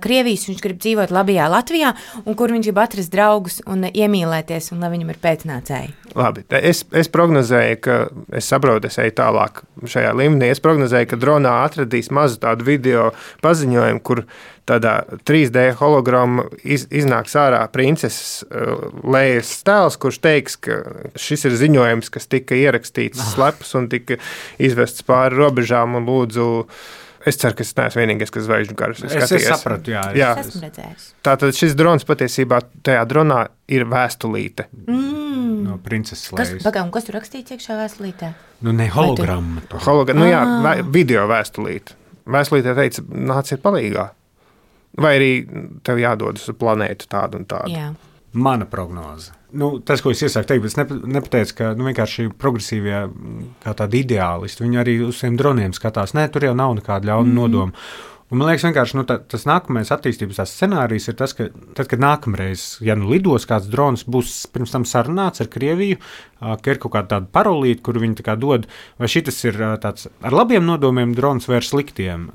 Krievijas, viņš grib dzīvot labajā Latvijā, un kur viņš grib atrast draugus un iemīlēties, un lai viņam ir pēcnācēji. Labi, es prognozēju, ka es saprotu, es eju tālāk šajā līmenī, es prognozēju, ka dronā atradīs mazu tādu video paziņojumu, kur tādā 3D hologramma iznāks ārā princeses Lejas tēls, kurš teiks, ka šis ir ziņojums, kas tika ierakstīts slepus un tika izvests pāri robežām un lūdzu. Es ceru, ka es neesmu vienīgais, kas zvaigžņu karus skatījies. Es sapratu, jā. Es esmu redzējis. Tātad šis drons patiesībā tajā dronā ir vēstulīte. No princeses Lejas. Kas tur rakstīts iekšā vēstulītē? Ne hologramma. Video vēstulīte. Vēstulītē teica, nāciet palīgā. Vai arī tev jādodas uz planētu tādu un tādu? Jā. Mana prognoze. Tas, ko es iesāku teikt, bet es nepateicu, ka vienkārši progresīvie kā tādi ideālisti, viņi arī uz tiem droniem skatās. Nē, tur jau nav nekāda ļauna nodoma. Un man liekas, vienkārši tas nākamais attīstības scenārijs ir tas, ka tad, kad nākamreiz, ja lidos kāds drons, būs pirms tam sarunāts ar Krieviju, ka ir kaut kāda tāda parolīte, kuru viņi tā kā dod, vai šitas ir tāds ar labiem nodomiem drons vai ar sliktiem.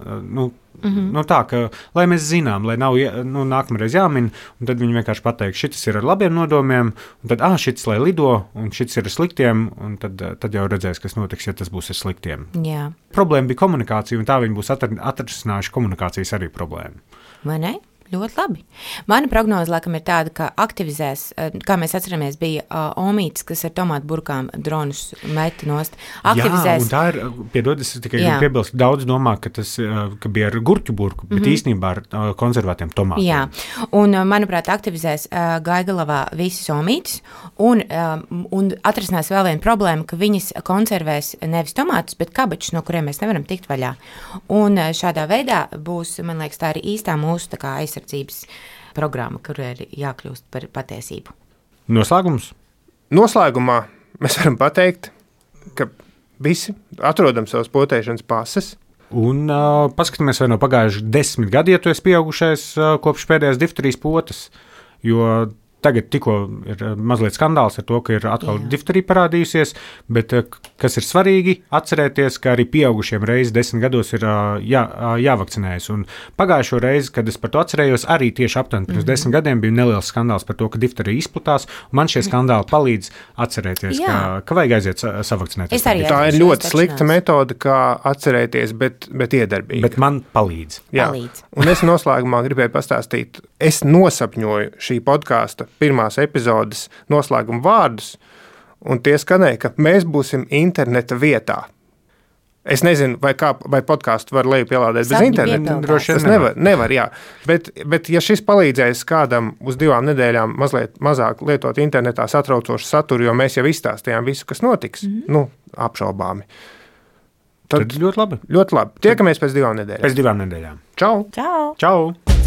Tā, ka, lai mēs zinām, lai nav nākamreiz jāmin, un tad viņi vienkārši pateiks, šitas ir ar labiem nodomiem, un tad, šitas lai lido, un šitas ir ar sliktiem, un tad jau redzēs, kas notiks, ja tas būs ar sliktiem. Jā. Problēma bija komunikācija, un tā viņi būs atrisinājuši komunikācijas arī problēmu. Vai ne? Ļoti labi. Mana prognoze, laikam, ir tāda, ka aktivizēs, kā mēs atceramies, bija omītis, kas ar tomātu burkām dronus meta nost. Aktivizēs. Jā, un tā ir, piedod, es tikai piebilst, daudz domā, ka tas ka bija ar gurķu burku, bet īstenībā ar konservētiem tomātiem. Jā, un, manuprāt, aktivizēs Gaigalavā visas omītis, un atrisinās vēl viena problēma, ka viņas konservēs nevis tomātus, bet kabačus, no kuriem mēs nevaram tikt vaļā. Un šādā veidā būs, man liekas, tā arī īstā mūsu tā kā aizsardzības programma, kur ir jākļūst par patiesību. Noslēgums? Noslēgumā mēs varam pateikt, ka visi atrodam savas potēšanas pases. Un paskatāmies, vai no pagājuši 10 gadi, ja tu esi pieaugušais kopš pēdējās difterijas potes, jo tagad tikko ir mazliet skandāls ar to, ka ir atkal difterija parādījusies, bet kas ir svarīgi atcerēties, ka arī pieaugušiem reizi 10 gados ir jāvakcinējas. Un pagājušo reizi, kad es par to atcerējos, arī tieši aptuveni pirms 10 gadiem bija neliels skandāls par to, ka difterija izplatās. Man šie skandāli palīdz atcerēties, ka vajag aiziet savakcinēties. Tā ir ļoti slikta metode, kā atcerēties, bet iedarbīga. Bet man palīdz. Palīdz. Un es noslēgumā gribēju pastāstīt, es nosapņoju šī podkāsta pirmās epizodes noslēguma vārdus, un tie skanēja, ka mēs būsim interneta vietā. Es nezinu, vai podkāstu var lejupielādēt bez interneta. Tas nevar, jā. Bet ja šis palīdzēs kādam uz 2 nedēļām mazliet mazāk lietot internetā satraucošu saturu, jo mēs jau izstāstījām visu, kas notiks, apšaubāmi. Tad ļoti labi. Ļoti labi. Tiekamies pēc 2 nedēļām. Pēc 2 nedēļām. Čau! Čau! Čau!